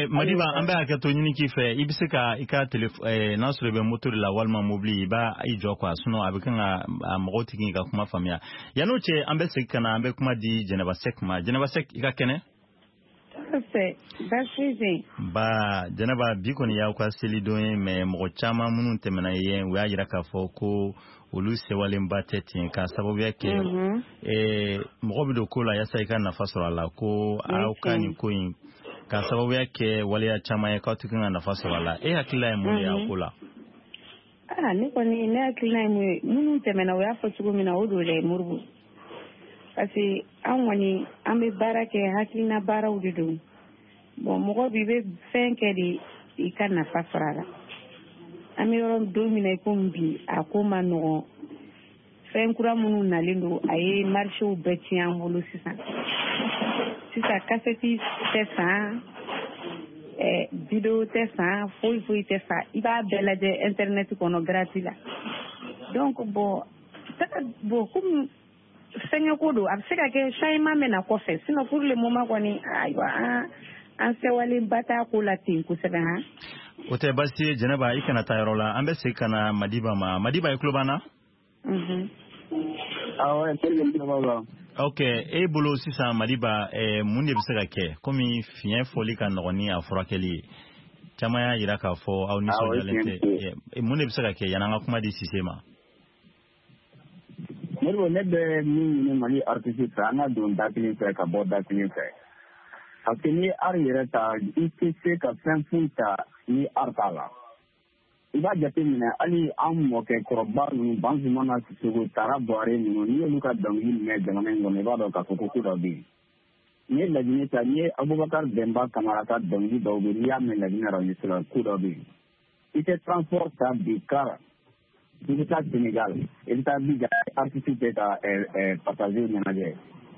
Madiba, an bɛ hakɛ to ɲini k'i fɛ, i bɛ se ka i ka téléphone, n'a sɔrɔ i bɛ moto de la walima mobili, i b'a i jɔ quoi, sinon a bɛ kan ka mɔgɔw tɛ k'i ka kuma faamuya. Yann'o cɛ, an bɛ segin ka na, an bɛ kuma di Jɛnɛba Sɛki ma. Jɛnɛba Sɛki, i ka kɛnɛ? Ba Jɛnɛba, bi kɔni y'aw ka selidon ye, mais mɔgɔ caman minnu tɛmɛna yen, u y'a jira k'a fɔ ko olu sewalenba tɛ ten, k'a sababuya kɛ mɔgɔ bɛ don ko la yaasa i ka nafa sɔrɔ a la, ko aw ka nin ko in k'a sababuya kɛ waleya caman ye k'aw tɛ kan ka nafa sɔrɔ a la. E hakilila ye mun de ye a ko la? Aa, ne kɔni, ne hakilina ye mun ye, minnu tɛmɛna u y'a fɔ cogo min na, o don dɛ Modibo. Parce que an kɔni, an bɛ baara kɛ, hakilina baaraw de don. Bon, mɔgɔ b'i bɛ fɛn kɛ de i ka nafa sɔrɔ a la. An bɛ yɔrɔ don min na i komi bi, a ko ma nɔgɔn. Fɛn kura minnu nalen don, a ye marchéw bɛɛ tiɲɛ an bolo sisan. Sisan kasɛti tɛ san, vidéo tɛ san, foyi foyi tɛ san. I b'a bɛɛ lajɛ internet kɔnɔ gratuit la. Donc bon, bon komi fɛngɛ ko don, a bɛ se ka kɛ changement bɛ na kɔfɛ. Sinon pour le moment kɔni, ayiwa, an sɛwalenba t'a ko la ten kosɛbɛ han. O tɛ baasi ye Jɛnɛba, i kana taa yɔrɔ la. An bɛ segin ka na Madiba ma. Madiba, i tulo b'an na? Awɔ, n tulo b'aw la. Ok, e bolo sisan Madiba, mun de bɛ se ka kɛ? Komi fiɲɛ fɔli ka nɔgɔn ni a furakɛli ye, caman y'a jira k'a fɔ aw nisɔndiyalen tɛ. Mun de bɛ se ka kɛ yan'an ka kuma di Sise ma? Modibo, ne bɛ min ɲini Mali artiste fɛ, an ka don da kelen fɛ ka bɔ da kelen fɛ. Parce que n'i ye art yɛrɛ ta, i tɛ se ka fɛn foyi ta ni art t'a la. I b'a jateminɛ hali an mɔkɛ kɔrɔba ninnu, Banzumana Sisoko, Tara Buware ninnu, n'i y'olu ka dɔnkili mɛn jamana in kɔnɔ, i b'a dɔn k'a fɔ ko ko dɔ bɛ yen. N'i ye Laginɛ ta, n'i ye Abubakar Bɛnba Kamara ka dɔnkili dɔw bɛ yen, n'i y'a mɛn Laginɛ radio la, ko dɔ bɛ yen. I tɛ transport ta bi car, i bɛ taa Sénégal, i bɛ taa Abidjan, artiste tɛ ka passager ɲɛnajɛ.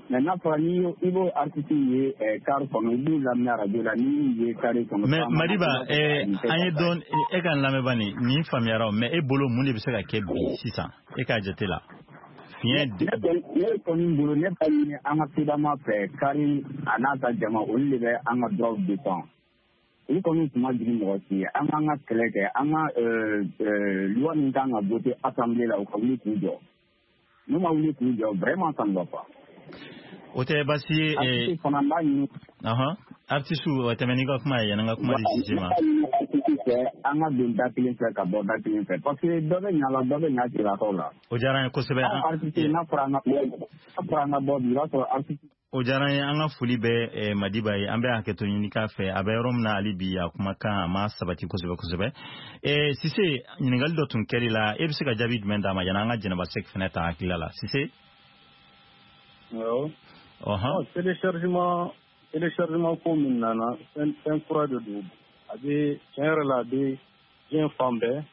Mais n'a fɔra n'i i b'o artiste ye car kɔnɔ, i b'u lamɛn radio la, n'i y'u ye car kɔnɔ. Mais Madiba, an ye dɔn, e ka lamɛnba nin faamuyara o, mais e bolo mun de bɛ se ka kɛ bi sisan, e k'a jate la? Fiɲɛ. Ne kɔni bolo, ne b'a ɲini an ka FEDAMA fɛ, kari a n'a ka jama, olu de bɛ an ka droit défend. Olu kɔni tun ma jigin mɔgɔ si ye. An k'an ka kɛlɛ kɛ, an ka loi min kan ka voter assemblée la, u ka wuli k'u jɔ. N'u ma wuli k'u jɔ, vraiment ça ne va pas. O tɛ baasi ye. Artiste fana b'a ɲini. Artiste, o tɛmɛ n'i ka kuma ye, yanni n ka kuma di Sise ma. artiste fɛ, an ka don da kelen fɛ ka bɔ da kelen fɛ, parce que dɔ bɛ ɲa la, dɔ bɛ ɲa cɛlakaw la. O diyara an ye kosɛbɛ. Anw artiste, n'a fɔra an ka bɔ bi, i b'a sɔrɔ artiste. O diyara an ye, an ka foli bɛ Madiba ye. An bɛ hakɛto ɲini k'a fɛ, a bɛ yɔrɔ min na hali bi, a kumakan a ma sabati kosɛbɛ kosɛbɛ. Sise, ɲininkali dɔ tun kɛr'i la, e bɛ se ka jaabi jumɛn d'a ma yanni an ka Jɛnɛba Sɛki fɛnɛ ta hakilila la, Sise? Awɔ. Téléchargement ko min nana, fɛn kura de don. A bɛ tiɲɛ yɛrɛ la, a bɛ diɲɛ fan bɛɛ,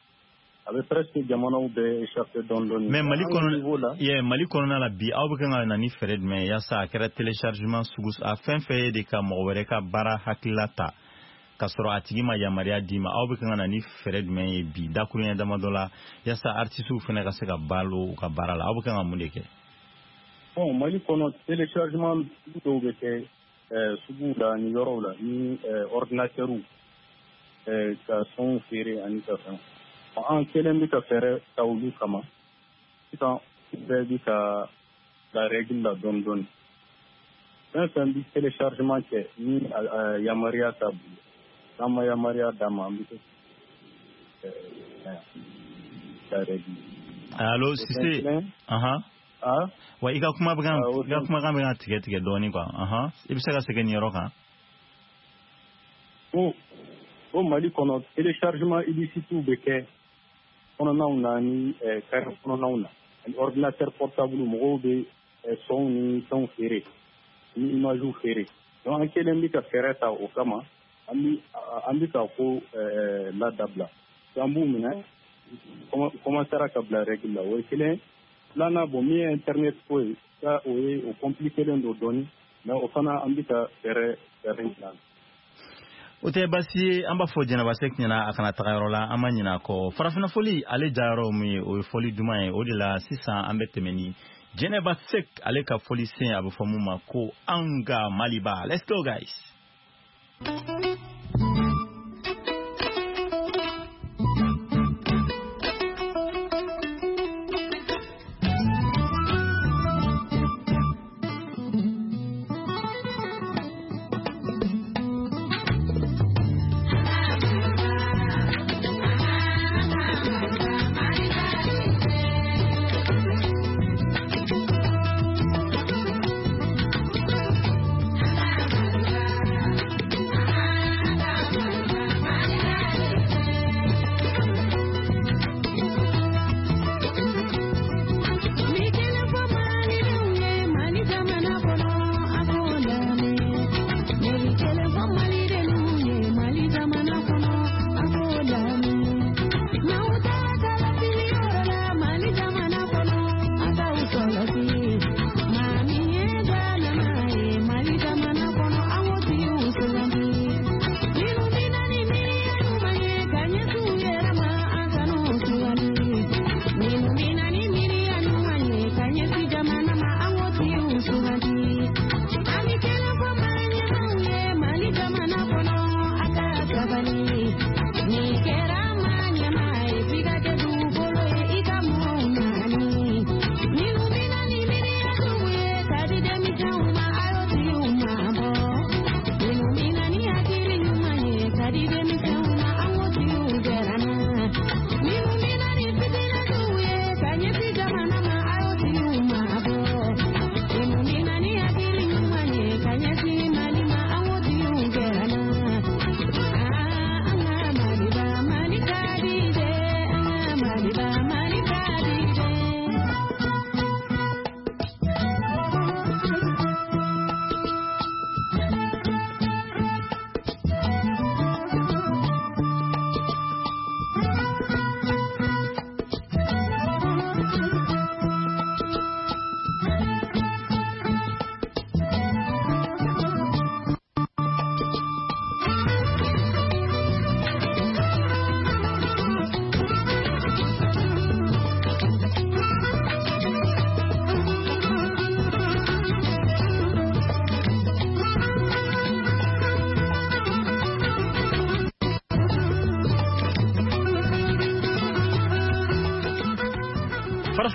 a bɛ presque jamanaw bɛɛ échappé dɔɔni dɔɔni. Mais Mali kɔnɔ, yeah, Mali kɔnɔna la bi, aw bɛ kan ka na ni fɛɛrɛ jumɛn ye yaasa a kɛra téléchargement sugu a fɛn fɛn ye de ka mɔgɔ wɛrɛ ka baara hakilila ta k'a sɔrɔ a tigi ma yamaruya d'i ma, aw bɛ kan ka na ni fɛɛrɛ jumɛn ye bi dakuruɲɛ damadɔ la yaasa artistes fana ka se ka balo u ka baara la, aw bɛ kan ka mun de kɛ? Bon, Mali kɔnɔ, téléchargement dɔw bɛ kɛ suguw la ni yɔrɔw la ni ordinateurw ka sonw feere ani ka fɛn. An kelen bɛ ka fɛɛrɛ ta olu kama sisan, bɛɛ bɛ ka la règle la dɔɔni dɔɔni. Fɛn fɛn bɛ téléchargement kɛ ni yamaruya t'a bolo, n'an ma yamaruya d'a ma, an bɛ se la règle. Allo Sise. Wa i ka kuma bɛ ka kumakan bɛ ka tigɛ tigɛ dɔɔni quoi. I bɛ se ka segin nin yɔrɔ kan? Ko Mali kɔnɔ, téléchargement illicite bɛ kɛ kɔnɔnaw na ni carré kɔnɔnaw na ani ordinateur portable, mɔgɔw bɛ sonw ni fɛnw feere ni images feere. Donc an kelen bɛ ka fɛɛrɛ ta o kama, an bɛ ka ko ladabila, an b'u minɛ, commencera ka bila règle la. O ye kelen. Filanan, bon, min ye internet ko ye, o ye o compliqué len don dɔɔni, mais o fana an bɛ ka fɛɛrɛ dilan. O tɛ baasi ye, an b'a fɔ Jɛnɛba Sɛki ɲɛna a kana taga yɔrɔ la, an ma ɲinɛ a kɔ. Farafinna fɔli ale jayɔrɔ mun ye, o ye fɔli duman ye. O de la sisan an bɛ tɛmɛ ni Jɛnɛba Sɛki ale ka fɔli sen, a bɛ fɔ mun ma ko an ka Maliba. Let's go guys.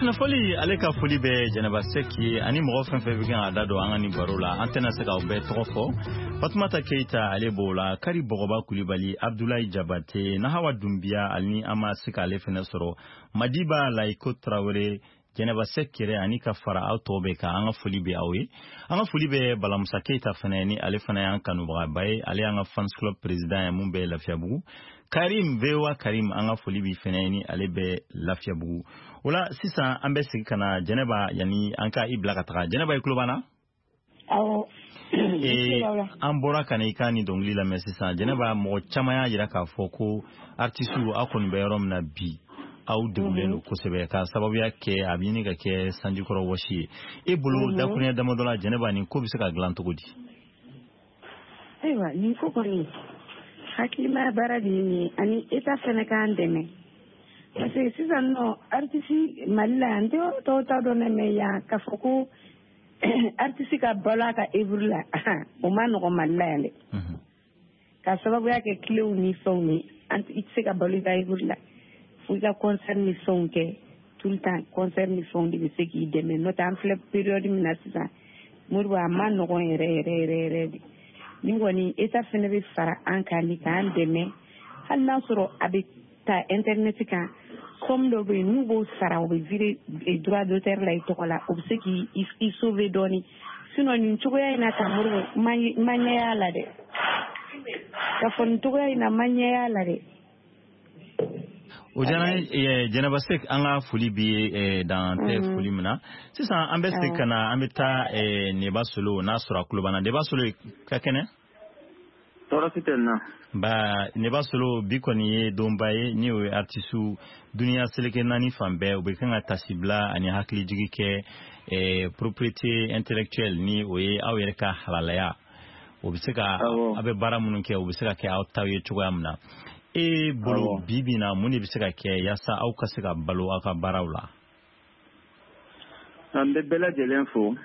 Farafina fɔli ale ka foli bɛ Jɛnɛba Sɛk ye ani mɔgɔ fɛn fɛn bɛ kan ka da don an ka nin baro la, an tɛna se k'aw bɛɛ tɔgɔ fɔ. Fatumata Keyita ale b'o la, Kari Bɔgɔba Kulibali, Abdulayi Jabate, Nahawa Dunbiya, ale ni an ma se k'ale fɛnɛ sɔrɔ, Madiba Layiko Tarawele, Jɛnɛba Sɛk yɛrɛ ani ka fara aw tɔw bɛɛ kan, an ka foli bɛ aw ye. An ka foli bɛ Balamusa Keyita fɛnɛ ni ale fana y'an kanubagaba ye, ale y'an ka fans club président ye mun bɛ Lafiyabugu. Karim VOA Karim, an ka foli b'i fɛnɛ ni ale bɛ Lafiyabugu. O la sisan an bɛ segin ka na Jɛnɛba, yanni an ka i bila ka taga. Jɛnɛba, i tulo b'an na? Awɔ. An bɔra ka na i ka nin dɔnkili lamɛn sisan. Jɛnɛba, mɔgɔ caman y'a jira k'a fɔ ko artisiw aw kɔni bɛ yɔrɔ min na bi, aw degunnen don kosɛbɛ k'a sababuya kɛ a bɛ ɲini ka kɛ sanjikɔrɔ wɔsi ye. E bolo dakuruɲɛ damadɔ la, Jɛnɛba, nin ko bɛ se ka dilan cogo di? Ayiwa, nin ko kɔni hakilimaya baara de ye nin ye, ani État fɛnɛ k'an dɛmɛ, parce que sisan nɔ artiste Mali la yan, n tɛ yɔrɔ tɔw ta dɔn dɛ, mais yan k'a fɔ ko artiste ka balo a ka œuvre la, o ma nɔgɔn Mali la yan dɛ, ka sababuya kɛ kilew ni fɛnw ye. An i tɛ se ka balo i ka œuvre la fo i ka concert ni fɛnw kɛ tout le temps. Concert ni fɛnw de bɛ se k'i dɛmɛ, n'o tɛ an filɛ période min na sisan, Modibo, a ma nɔgɔn yɛrɛ yɛrɛ yɛrɛ yɛrɛ de. Ni kɔni État fɛnɛ bɛ fara an kan ni k'an dɛmɛ, hali n'a sɔrɔ a bɛ ta internet kan, somme dɔ bɛ yen n'u b'o sara, o bɛ virer droit d'auteur la i tɔgɔ la, o bɛ se k'i sauver dɔɔni. Sinon nin cogoya in na tan, Modibo, ma ɲɛ y'a la dɛ, k'a fɔ nin cogoya in na, ma ɲɛ y'a la dɛ. O diyara n ye Jɛnɛba Sek, an ka foli b'i ye dan tɛ foli min na. Sisan an bɛ segin ka na, an bɛ taa Neba Solo, n'a sɔrɔ a tulo b'an na. Neba Solo, ka kɛnɛ? Tɔɔrɔ si tɛ n na. Ba Neba Solo, bi kɔni ye donba ye ni o ye artisiw duniya seleke naani fan bɛɛ, u bɛ kan ka tasibila ani hakilijigi kɛ propriété intellectuelle, ni o ye aw yɛrɛ ka halalaya, o bɛ se ka aw bɛ baara minnu kɛ, o bɛ se ka kɛ aw taw ye cogoya min na. E bolo, bi bi na, mun de bɛ se ka kɛ yaasa aw ka se ka balo aw ka baaraw la? An bɛ bɛɛ lajɛlen fo.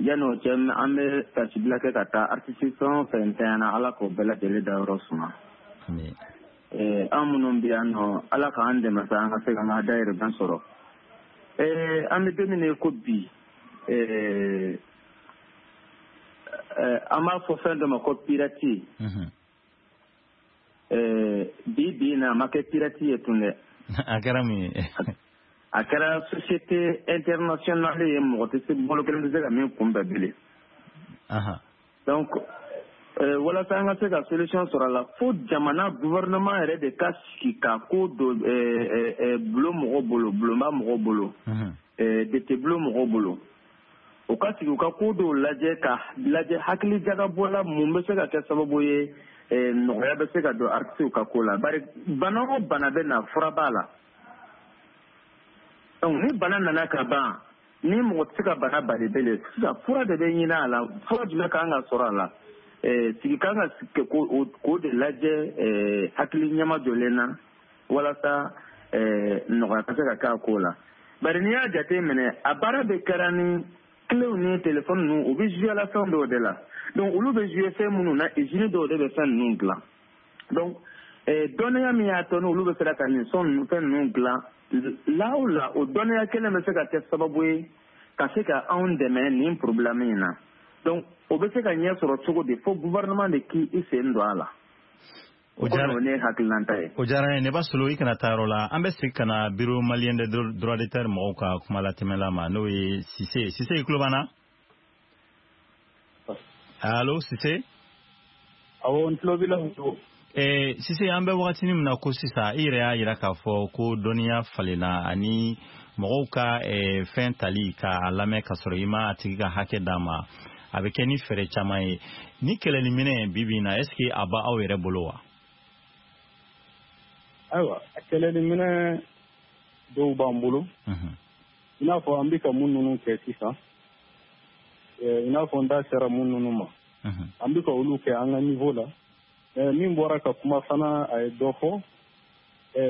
Yanni o cɛ, an bɛ tasibila kɛ ka taa artiste fɛn o fɛn ntanyana, Ala k'o bɛɛ lajɛlen dayɔrɔ suma. An minnu bɛ yan nɔ, Ala k'an dɛmɛ sa an ka se k'an ka dayirimɛ sɔrɔ. An bɛ don min na i ko bi, an b'a fɔ fɛn dɔ ma ko pirate. Bi bi in na, a ma kɛ pirate ye tun dɛ. A kɛra mun ye? A kɛra société internationale ye, mɔgɔ tɛ se, bolo kelen tɛ se ka min kunbɛn bilen. Donc walasa an ka se ka solution sɔrɔ a la, fo jamana gouvernement yɛrɛ de ka sigi ka ko don bulon mɔgɔw bolo, bulonba mɔgɔw bolo, député bulon mɔgɔw bolo, u ka sigi u ka ko dɔw lajɛ, ka lajɛ hakili jagabɔ la, mun bɛ se ka kɛ sababu ye nɔgɔya bɛ se ka don artiste ka ko la. Bari bana o bana bɛ na, fura b'a la. Donc ni bana nana ka ban, ni mɔgɔ tɛ se ka bana bali bilen, sisan fura de bɛ ɲini a la. Fura jumɛn kan ka sɔrɔ a la? Sigi kan ka k'o de lajɛ hakili ɲɛma jɔlen na, walasa nɔgɔya ka se ka kɛ a ko la. Bari n'i y'a jate minɛ, a baara bɛ kɛra ni clés ni téléphone ninnu, u bɛ jouer la fɛn dɔw de la. Donc olu bɛ jouer fɛn minnu na, usine dɔw de bɛ fɛn ninnu dilan. Donc dɔnniya min y'a to n'olu bɛ sera ka nin son ninnu, fɛn ninnu dilan la o la, o dɔnniya kelen bɛ se ka kɛ sababu ye ka se ka anw dɛmɛ nin problème in na. Donc o bɛ se ka ɲɛ sɔrɔ cogo di? Fo gouvernement de k'i sen don a la. O diyara ne hakilinata ye. O diyara n ye Neba Solo, i kana taa yɔrɔ la. An bɛ segin ka na bureau malien des droits d'auteur mɔgɔw ka kuma latɛmɛla ma, n'o ye Sise. Sise, i tulo b'an na? Allo, Sise? Awɔ, n tulo b'i la. Sise, an bɛ wagatinin min na ko sisan, i yɛrɛ y'a jira k'a fɔ ko dɔnniya falenna ani mɔgɔw ka fɛn tali k'a lamɛn ka sɔrɔ i ma a tigi ka hakɛ d'a ma, a bɛ kɛ ni fɛɛrɛ caman ye. Ni kɛlɛliminɛ bi bi in na, est ce que a b'aw yɛrɛ bolo wa? Ayiwa, a kɛlɛliminɛ dɔw b'an bolo, i n'a fɔ an bɛ ka mun ninnu kɛ sisan, i n'a fɔ n da sera mun ninnu ma, an bɛ ka olu kɛ an ka niveau la. Min bɔra ka kuma fana, a ye dɔ fɔ,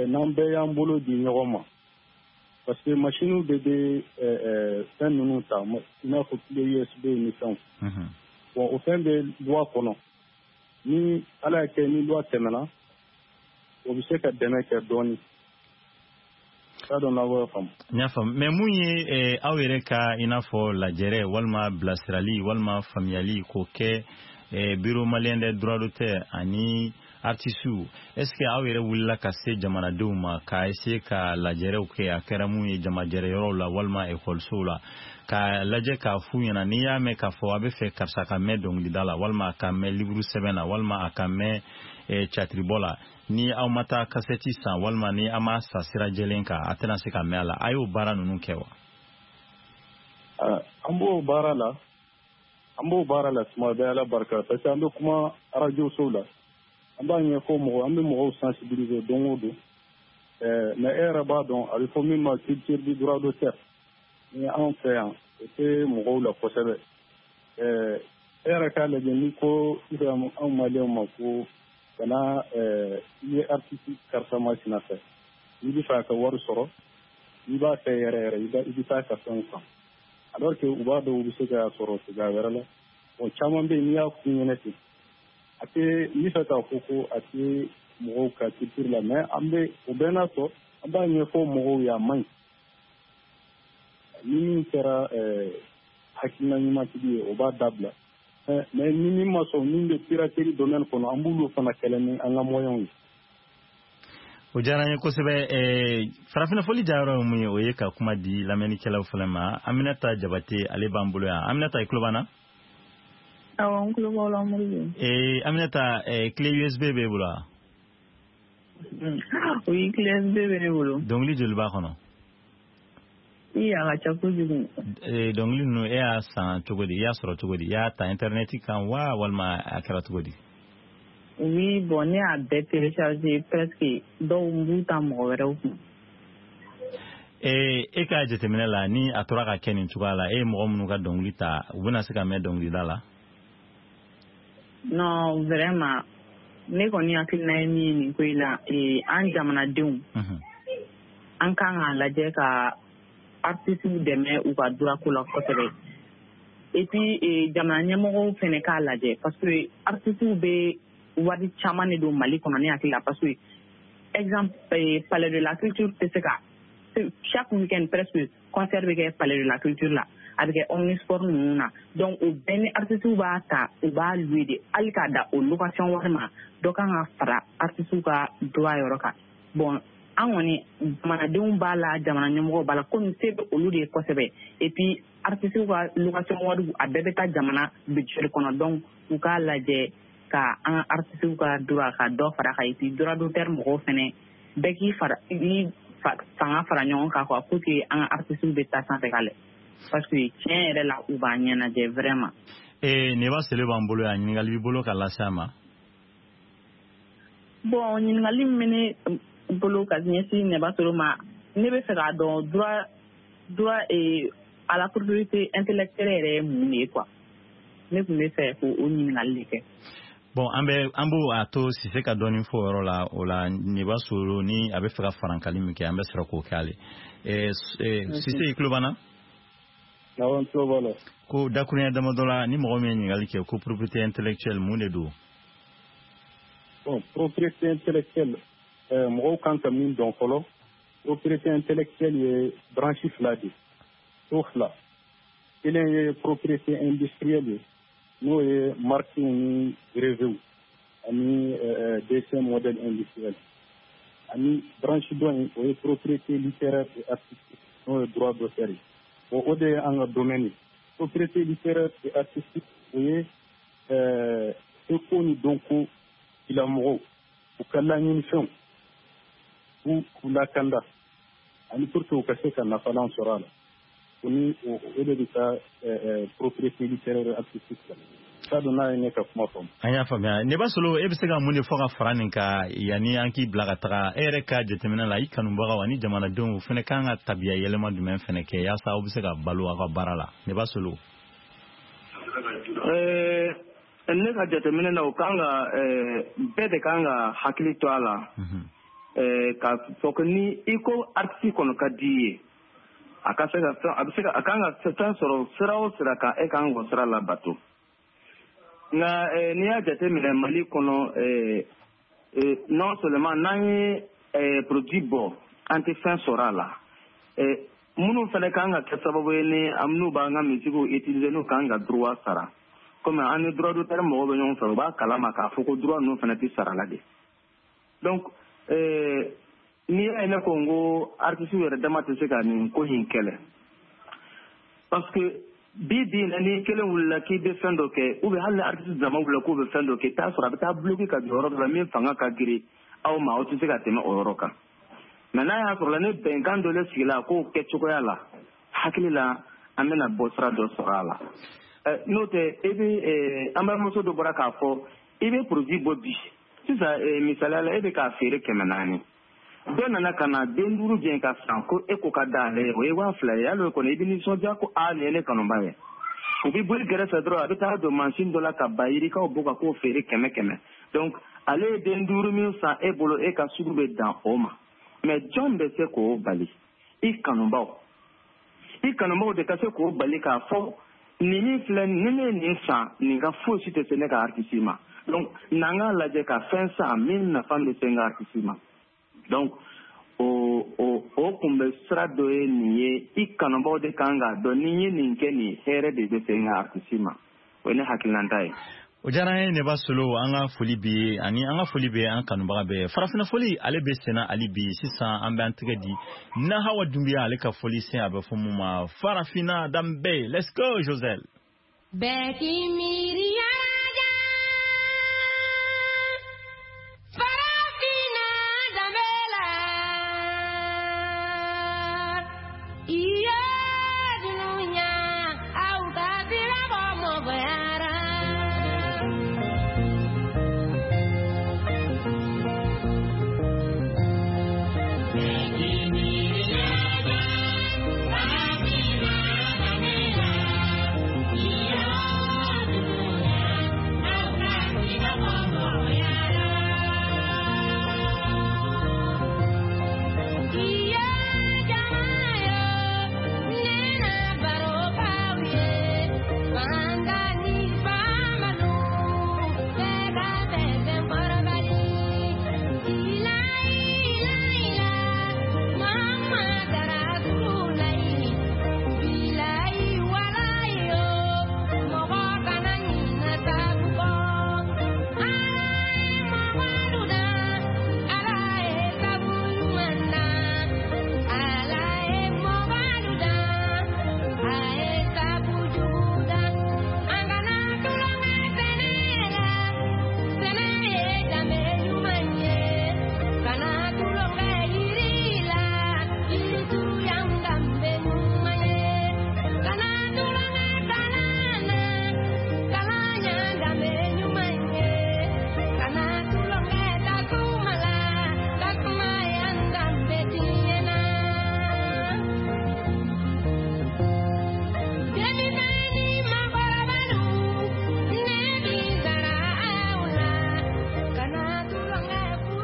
n'an bɛɛ y'an bolo di ɲɔgɔn ma, parce que machines de bɛ fɛn ninnu ta, i n'a fɔ clé USB ni fɛnw. Bon, o fɛn bɛ loi kɔnɔ, ni Ala y'a kɛ ni loi tɛmɛna, o bɛ se ka dɛmɛ kɛ dɔɔni. T'a dɔn n'aw b'o faamu. N y'a faamu, mais mun ye aw yɛrɛ ka i n'a fɔ lajɛrɛ walima bilasirali walima faamuyali k'o kɛ Bureau malien des droits d'auteur ani artistes, est ce que aw yɛrɛ wulila ka se jamanadenw ma ka essayer ka lajɛrɛw kɛ, a kɛra mun ye jamajɛrɛ yɔrɔw la walima ekɔlisow la, k'a lajɛ k'a f'u ɲɛna, n'i y'a mɛn k'a fɔ a bɛ fɛ karisa ka mɛn dɔnkilida la walima a ka mɛn livre sɛbɛn na walima a ka mɛn catiribɔ la, ni aw ma taa kasɛti san walima ni aw ma sa sira jɛlen kan, a tɛna se ka mɛn a la, a y'o baara ninnu kɛ wa? An b'o baara la, an b'o baara la tuma bɛɛ, Ala barika, parce que an bɛ kuma arajo sow la, an b'a ɲɛfɔ mɔgɔw, an bɛ mɔgɔw sensibiliser don o don. Mais e yɛrɛ b'a dɔn, a bɛ fɔ min ma culture du droit d'auteur, ni anw fɛ yan, o tɛ mɔgɔw la kosɛbɛ. E yɛrɛ k'a lajɛ, ni ko sisan anw maliyɛnw ma ko kana i ye artiste karisa masina fɛ, n'i bɛ fɛ a ka wari sɔrɔ, n'i b'a fɛ yɛrɛ yɛrɛ, i bɛ taa ka fɛnw san, alors que u b'a dɔn u bɛ se k'a sɔrɔ cogoya wɛrɛ la. Bon, caman bɛ yen, n'i y'a f'u ɲɛna ten, a tɛ n bɛ fɛ k'a fɔ ko a tɛ mɔgɔw ka culture la, mais an bɛ o bɛɛ n'a tɔ, an b'a ɲɛfɔ mɔgɔw ye, a man ɲi. Ni min kɛra hakilina ɲumantigi ye, o b'a dabila, mais ni min ma sɔn, min bɛ piraterie domaine kɔnɔ, an b'olu fana kɛlɛ ni an ka moyens ye. O diyara n ye kosɛbɛ. Farafinna foli jayɔrɔ ye mun ye? O ye ka kuma di lamɛnnikɛlaw fana ma. Aminata Jabate, ale b'an bolo yan. Aminata, i tulo b'an na? Awɔ, n tulo b'aw la, Modibo. Aminata, clé USB b'e bolo wa? Oui, clé USB bɛ ne bolo. Dɔnkili joli b'a kɔnɔ? I, a ka ca kojugu. Dɔnkili ninnu, e y'a san cogo di? I y'a sɔrɔ cogo di? I y'a ta internet kan wa, walima a kɛra cogo di? Oui, bon, ne y'a bɛɛ télécharger presque, dɔw n b'u ta mɔgɔ wɛrɛw kun. E ka jateminɛ la, ni a tora ka kɛ nin cogoya la, e ye mɔgɔ minnu ka dɔnkili ta, u bɛna se ka mɛn dɔnkilida la? Non, vraiment, ne kɔni hakilina ye min ye nin ko in la, an jamanadenw, an kan k'a lajɛ ka artistes dɛmɛ u ka droit ko la kosɛbɛ. Et puis jamana ɲɛmɔgɔw fɛnɛ k'a lajɛ, parce que artistes bɛ wari caman de don Mali kɔnɔ, ne hakili la, parce que exemple, Palais de la Culture tɛ se ka, chaque week-end presque, concert bɛ kɛ Palais de la Culture la, a bɛ kɛ Omnisport ninnu na. Donc o bɛɛ ni artistes b'a ta, u b'a louer de, hali k'a da o location wari ma, dɔ kan ka fara artistes ka droit yɔrɔ kan. Bon, an kɔni jamanadenw b'a la, jamana ɲɛmɔgɔw b'a la, komi se bɛ olu de ye kosɛbɛ. Et puis artistes ka location wari, a bɛɛ bɛ taa jamana budget kɔnɔ. Donc u k'a lajɛ ka an ka artistes ka droit ka dɔ fara kan, et puis droit d'auteur mɔgɔw fɛnɛ bɛɛ k'i fara i fanga fara ɲɔgɔn kan quoi, pour que an ka artistes bɛ taa sanfɛ ka lɛ, parce que tiɲɛ yɛrɛ la, u b'an ɲɛnajɛ vraiment. Neba Sele b'an bolo yan, ɲininkali b'i bolo ka lase a ma? Bon, ɲininkali min bɛ ne bolo ka ɲɛsin Neba Solo ma, ne bɛ fɛ k'a dɔn droit à la propriété intellectuelle yɛrɛ ye mun de ye quoi. Ne tun bɛ fɛ k'o ɲininkali de kɛ. Bon, an bɛ an b'o a to Sise ka dɔɔni fɔ o yɔrɔ la. O la, Neba Solo, ni a bɛ fɛ ka farankali min kɛ, an bɛ sɔrɔ k'o kɛ ale. Sise, i tulo b'an na? Awɔ, n tulo b'a la. Ko dakuruɲɛ damadɔ la, ni mɔgɔ min ye ɲininkali kɛ ko propriété intellectuelle, mun de don? Bon, propriété intellectuelle, mɔgɔw kan ka min dɔn fɔlɔ, propriété intellectuelle ye branche fila de ye, so fila. Kelen ye propriété industrielle ye, n'o ye marque ni brevet ani dessin modèle industriel, ani branche dɔ in, o ye propriété littéraire et artistique, n'o ye droit d'auteur ye. Bon, o de ye an ka domaine ye. Propriété littéraire et artistique, o ye seko ni dɔnko tigilamɔgɔw u ka laɲinifɛnw k'u lakanda ani pour que u ka se ka nafalan sɔrɔ a la, o ni o de bɛ taa propriété littéraire artistique la. T'a dɔn n'a ye ne ka kuma faamu. An y'a faamuya. Neba Solo, e bɛ se ka mun de fɔ ka fara nin kan yanni an k'i bila ka taga? E yɛrɛ ka jateminɛ la, i kanubagaw ani jamanadenw fana kan ka tabiya yɛlɛma jumɛn fana kɛ yaasa aw bɛ se ka balo aw ka baara la, Neba Solo? Ne ka jateminɛ na, o kan ka bɛɛ de kan ka hakili to a la ka fɔ ko ni i ko artiste kɔni ka di i ye, a ka se ka fɛn, a bɛ se ka, a kan ka fɛn sɔrɔ sira o sira kan, e kan k'o sira labato. Nka n'i y'a jateminɛ Mali kɔnɔ, non seulement n'an ye produit bɔ An tɛ fɛn sɔrɔ a la. Minnu fana kan ka kɛ sababu ye ni n'u b'an ka musique utiliser, n'u kan ka droit sara, komi an ni droit d'auteur mɔgɔw bɛ ɲɔgɔn fɛ, u b'a kalama k'a fɔ ko droit ninnu fana tɛ sara la de. Donc n'i y'a ye ne ko n ko artistes yɛrɛ dama tɛ se ka nin ko in kɛlɛ, parce que bi bi in na, ni kelen wulila k'i bɛ fɛn dɔ kɛ, ou bien hali ni artiste dama wulila k'u bɛ fɛn dɔ kɛ, i t'a sɔrɔ a bɛ taa bloquer ka jɔ yɔrɔ dɔ la min fanga ka girin aw ma, aw tɛ se ka tɛmɛ o yɔrɔ kan. Mais n'a y'a sɔrɔ la ni bɛnkan dɔ le sigila k'o kɛcogoya la, hakili la an bɛna bɔ sira dɔ sɔrɔ a la. N'o tɛ, e bɛ an balimamuso dɔ bɔra k'a fɔ, i bɛ produit bɔ bi sisan, misaliya la, e bɛ k'a feere 400, dɔ nana ka na den 5 jɛn ka san ko e ko ka d'ale ye, o ye 2000 ye. Hali o kɔni, i bɛ nisɔndiya ko aa, nin ye ne kanuba ye. U bɛ bɔ i gɛrɛfɛ dɔrɔn, a bɛ taa don mansin dɔ la ka bayirikaw bɔ ka k'o feere 100 100. Donc ale ye den 5 min san e bolo, e ka sugu bɛ dan o ma. Mais jɔn bɛ se k'o bali? I kanubaw, i kanubaw de ka se k'o bali k'a fɔ nin min filɛ, ni ne ye nin san, nin ka foyi si tɛ se ne ka artiste ma. Donc n'an k'a lajɛ ka fɛn san min nafa bɛ se n ka artiste ma. Donc o kun bɛ sira dɔ ye nin ye. I kanubaw de kan k'a dɔn ni n ye nin kɛ, nin hɛrɛ de bɛ se n ka artiste ma. O ye ne hakilinata ye. O diyara an ye, Neba Solo. An ka foli b'i ye ani an ka foli bɛ an kanubaga bɛɛ. Farafinna foli, ale bɛ senna hali bi. Sisan an bɛ an tɛgɛ di Nahawa Dunbiya, ale ka foli sen, a bɛ fɔ mun ma Farafinna danbe. Let's go, Joselle. Bɛɛ k'i miiri yala, farafinna danbe la, i ye dunuya aw ka sira bɔ mɔgɔyara.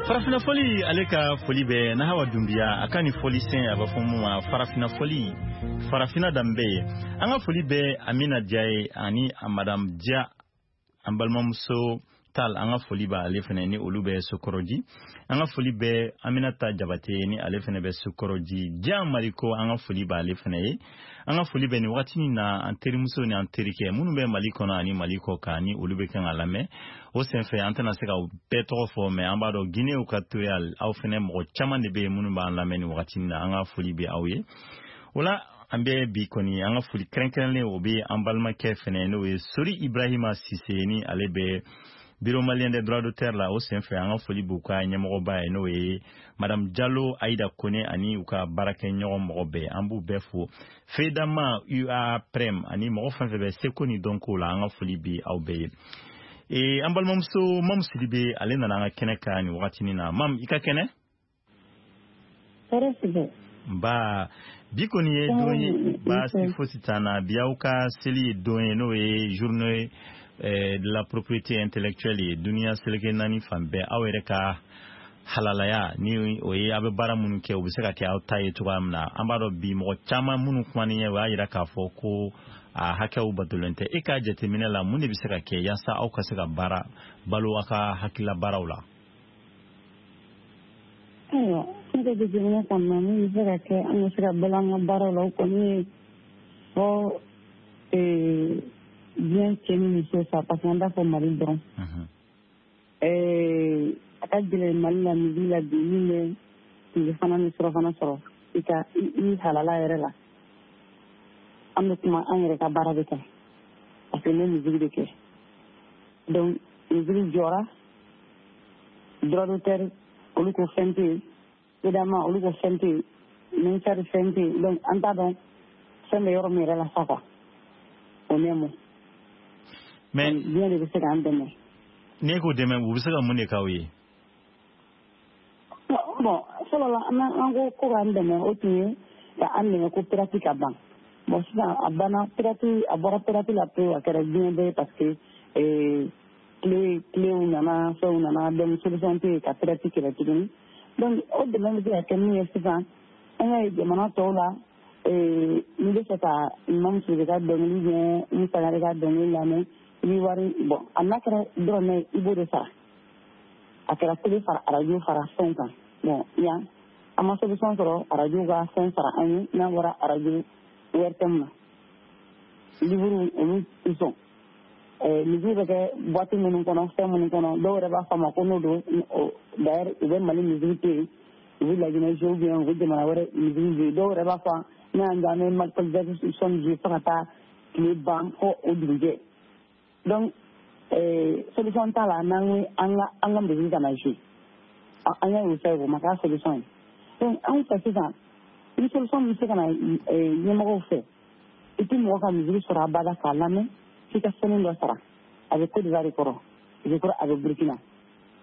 Farafinna foli, ale ka foli bɛ Nahawa Dunbiya, a ka nin foli sen, a bɛ fɔ mun ma Farafinna foli, Farafinna danbe ye. An ka foli bɛ Amina Diaye ani Madame Dia, an balimamuso Tal, an ka foli b'ale fɛnɛ ni olu bɛ Sokɔrɔji. An ka foli bɛ Aminata Jabate ni ale fɛnɛ bɛ Sokɔrɔji. Dian Mariko, an ka foli b'ale fɛnɛ ye. An ka foli bɛ nin wagati na an terimuso ni an terikɛ minnu bɛ Mali kɔnɔ ani Mali kɔ kan, ni olu bɛ kan ka lamɛn. O senfɛ, an tɛna se ka bɛɛ tɔgɔ fɔ, mais an b'a dɔn Guinéew ka toya, aw fɛnɛ mɔgɔ caman de bɛ yen minnu b'an lamɛn nin wagati na. An ka foli bɛ aw ye. O la, an bɛ bi kɔni, an ka foli kɛrɛnkɛrɛnlen, o bɛ an balimakɛ fɛnɛ, n'o ye Sori Ibrahima Sise, ni ale bɛ Bureau malien des droits d'auteur la. O senfɛ, an ka foli b'u ka ɲɛmɔgɔba ye, n'o ye Madame Diallo Aïda Kone, ani u ka baarakɛɲɔgɔn mɔgɔ bɛɛ, an b'u bɛɛ fo. Fedama UA Prem ani mɔgɔ fɛn fɛn bɛ seko ni dɔnko la, an ka foli bi aw bɛɛ ye. An balimamuso Mamu Sidibe, ale nana an ka kɛnɛ kan nin wagatinin na. Mamu, i ka kɛnɛ? Tɔɔrɔ si tɛ. Nba, bi kɔni ye don ye, baasi fosi t'an na. Bi aw ka seli ye don ye, n'o ye journée de la propriété intellectuelle ye duniya seleke 4 fan bɛɛ. Aw yɛrɛ ka halalaya ni o ye, aw bɛ baara minnu kɛ, u bɛ se ka kɛ aw ta ye cogoya min na. An b'a dɔn bi mɔgɔ caman minnu kumanen ye, o y'a yira k'a fɔ ko a hakɛw batolen tɛ. E ka jateminɛ la, mun de bɛ se ka kɛ yaasa aw ka se ka baara balo aw ka hakilila baaraw la? Ayiwa, ne Ne ka jateminɛ kɔni na, min bɛ se ka kɛ an ka se ka balo an ka baaraw la, o kɔni ye fɔ diɲɛ cɛ ni muso sa, parce que an t'a fɔ Mali dɔrɔn. A ka gɛlɛn Mali la midi la bi, min bɛ tile fana ni surafana sɔrɔ i ka i halala yɛrɛ la. An bɛ kuma an yɛrɛ ka baara de kan, parce que n bɛ musique de kɛ. Donc musique jɔra, droit d'auteur olu ko fɛn tɛ yen, évidemment olu ko fɛn tɛ yen, ministère fɛn tɛ yen. Donc an t'a dɔn fɛn bɛ yɔrɔ min yɛrɛ la sa quoi, o nɛmo. Mais diɲɛ de bɛ se k'an dɛmɛ. N'e k'o dɛmɛ, u bɛ se ka mun de k'aw ye? Bon, fɔlɔ la an ko k'an dɛmɛ, o tun ye ka an dɛmɛ ko pirate ka ban. Bon, sisan a banna, pirate a bɔra pirate la pewu, a kɛra diɲɛ bɛɛ ye, parce que kilew nana, fɛnw nana, donc solution tɛ yen ka pirate kɛlɛ tuguni. Donc o dɛmɛ bɛ se ka kɛ min ye sisan, an y'a ye jamana tɔw la, n'i bɛ fɛ ka Imam Sidibe ka dɔnkili ou bien Sangare ka dɔnkili lamɛn, i bɛ wari bon, a n'a kɛra dɔrɔmɛ, i b'o de sara. A kɛra télé fara arajo fara fɛnw kan. Bon, yan an ma solution sɔrɔ arajo ka fɛn sara an ye, n'a bɔra arajo ORTM na. Livre olu tɛ sɔn. Musique bɛ kɛ boîte minnu kɔnɔ, fɛn minnu kɔnɔ, dɔw yɛrɛ b'a fɔ a ma ko n'o don. D'ailleurs u bɛ Mali musique to yen, u bɛ Laginɛ jouer ou bien u bɛ jamana wɛrɛ musique jouer. Dɔw yɛrɛ b'a fɔ ne y'an jɔ an bɛ Michael Jackson jouer fo ka taa tile ban fo o dugujɛ. Donc solution t'a la n'an ko an ka musique kana jouer. An y'a ye o fɛ, o ma k'a solution ye. Donc anw fɛ sisan, ni solution min bɛ se ka na ɲɛmɔgɔw fɛ, i tɛ mɔgɔ ka musique sɔrɔ abada k'a lamɛn f'i ka sɛnɛ dɔ sara. A bɛ Côte d'Ivoire kɔrɔ, je crois a bɛ Burkina.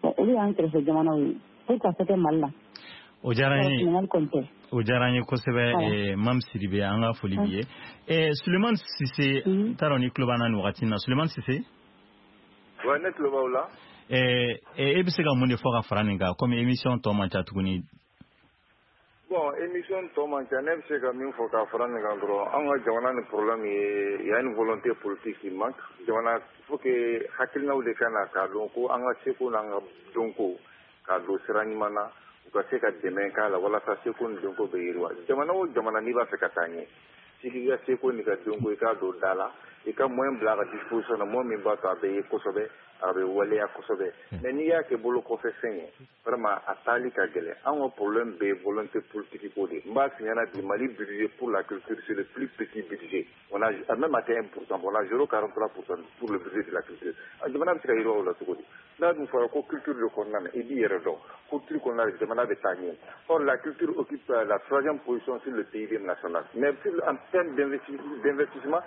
Bon, olu y'an kɛrɛfɛ jamanaw ye, pour ka se kɛ Mali la. O diyara n ye. Ɲininkali kɔni tɛ. O diyara n ye kosɛbɛ, Mam Sidibe, an ka foli b'i ye. Sulemani Sise, n t'a dɔn n'i tulo b'an na nin wagati in na. Sulemani Sise. Ouais, ne tulo b'aw la. E bɛ se ka mun de fɔ ka fara nin kan, komi émission tɔ man ca tuguni? Bon, émission tɔ man ca, ne bɛ se ka min fɔ ka fara nin kan dɔrɔn, an ka jamana ni problème ye, il y a une volonté politique qui manque. Jamana, il faut que hakilinaw de ka na k'a dɔn ko an ka seko n'an ka dɔnko k'a don sira ɲuman na, u ka se ka dɛmɛ k'a la walasa seko ni dɔnko bɛ yiriwa. Jamana o jamana n'i b'a fɛ ka taa ɲɛ, f'i k'i ka seko n'i ka dɔnko i k'a don da la, i ka moyen bila a ka disposition na, moyen min b'a to a bɛ ye kosɛbɛ, a bɛ waleya kosɛbɛ. Mais n'i y'a kɛ bolo kɔfɛ fɛn ye, vraiment a taali ka gɛlɛn. An ka problème bɛ volonté politique ko de. N b'a f'i ɲɛna bi, Mali budget pour la culture, c'est le plus petit budget. On a même atteint 1%, on a 0,43% pour le budget de la culture. Jamana bɛ se ka yiriwa o la cogo di? N'a dun fɔra ko culture de kɔnɔna na, i b'i yɛrɛ dɔn, culture kɔnɔna na jamana bɛ taa ɲɛ. Or la culture occupe la troisième position sur le PIB national. Mais en termes d'investissement,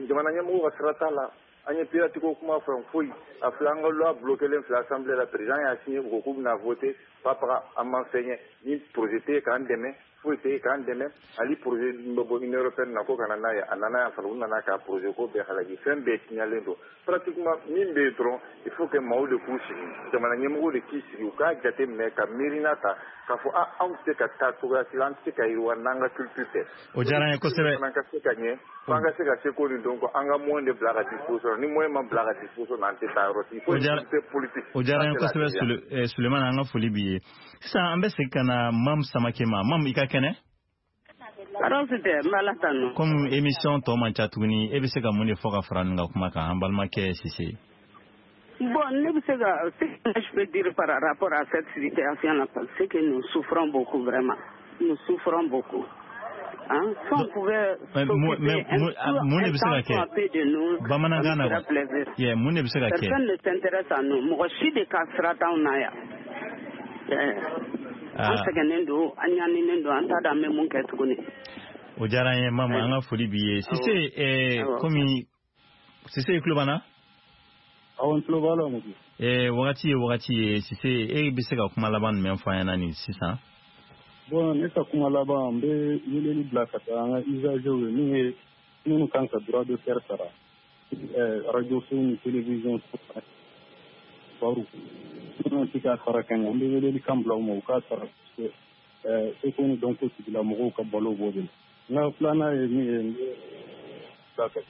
jamana ɲɛmɔgɔw ka sira t'a la. An ye pirate ko kuma fɔ foyi, a filɛ an ka loi bloqué len filɛ assemblée la, président y'a signé, u ko k'u bɛna voter, papaga an ma fɛn ɲɛ, ni projet tɛ yen k'an dɛmɛ, foyi tɛ yen k'an dɛmɛ. Hali projet min bɛ bɔ Union européenne na ko ka na n'a ye, a nana yan fana, u nana k'a projet ko bɛɛ halaki, fɛn bɛɛ tiɲɛlen don pratiquement. Min bɛ yen dɔrɔn, il faut que maaw de k'u sigi, jamana ɲɛmɔgɔw de k'i sigi, u k'a jate minɛ ka miirina ta k'a fɔ a anw tɛ se ka taa cogoya si la, an tɛ se ka yiriwa n'an ka culture tɛ. O diyara n ye kosɛbɛ. Fana ka se ka ɲɛ, f'an ka se ka seko ni dɔnko, an ka moyen de bila ka disposition. Ni moyen ma bila ka disposition na, an tɛ taa yɔrɔ si. Il faut une volonté politique. O diyara n ye kosɛbɛ, Sulemani, an ka foli b'i ye. Sisan an bɛ segin ka na Mam Samake ma. Mam, i ka kɛnɛ? Tɔɔrɔ tɛ, n b'Ala tanu. Komi émission tɔ man ca tuguni, e bɛ se ka mun de fɔ ka fara nin ka kuma kan, an balimakɛ Sise? Bon, ne bɛ se ka, ce que je peux dire par rapport à cette situation-là, c'est que nous souffrons beaucoup, vraiment. Nous souffrons beaucoup. Hein? Si on pouvait s'occuper un temps peu de nous, bamanankan na plaisir. Yeah, mun de bɛ se ka kɛ? Personne ne s'intéresse à nous. Mɔgɔ si de ka sira t'anw na yan. An sɛgɛnnen don, an ɲaninen don, an t'a dɔn an bɛ mun kɛ tuguni. O diyara n ye Mama, an ka foli b'i ye. Sise, komi Sise, i tulo b'an na? Awɔ, n tulo b'a la Modi. Wagati ye wagati ye, Sise, e bɛ se ka kuma laban jumɛn fɔ an ɲɛna nin sisan? Bon, ne ka kuma laban, n bɛ weleli bila ka taa an ka usagers ye, min ye minnu kan ka droit d'auteur sara, radio so ni télévision so baru minnu tɛ k'a sara ka ɲɛ, an bɛ weleli kan bila u ma u k'a sara, parce que seko ni dɔnko tigilamɔgɔw ka balo b'o de la. N ka filanan ye min ye, n bɛ bila ka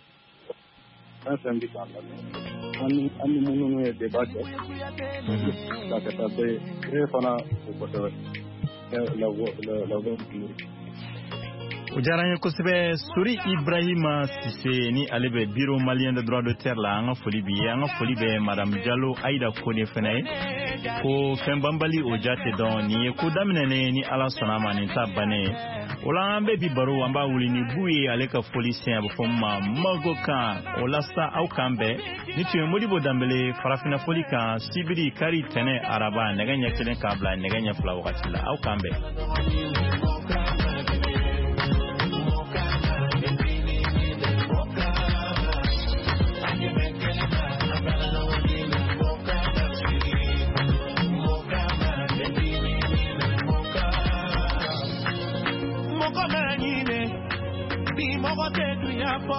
fɛn fɛn bɛ k'an lamɛn, an ni minnu ye débat kɛ, bila ka taa bɛɛ ye, e fana o kosɛbɛ. la voix la voix du. O diyara n ye kosɛbɛ. Sori Ibrahima Sise ni ale bɛ Bureau malien de droit d'auteur la, an ka foli b'i ye. An ka foli bɛ Madame Jalo Ayida Kone fana ye. Ko fɛn banbali, o ja tɛ dɔn. Nin ye ko daminɛnen, ni Ala sɔnna a ma, nin ta bannen ye. O la, an bɛ bi baro, an b'a wuli ni Bu ye, ale ka foli sen, a bɛ fɔ min ma Mago kan. O la sa, aw k'an bɛn. Ni tun ye Modibo Danbele, Farafinna foli kan, sibiri, kari, tɛnɛ, araba, nɛgɛ ɲɛ 1 k'a bila nɛgɛ ɲɛ 2 wagati la. Aw k'an bɛn.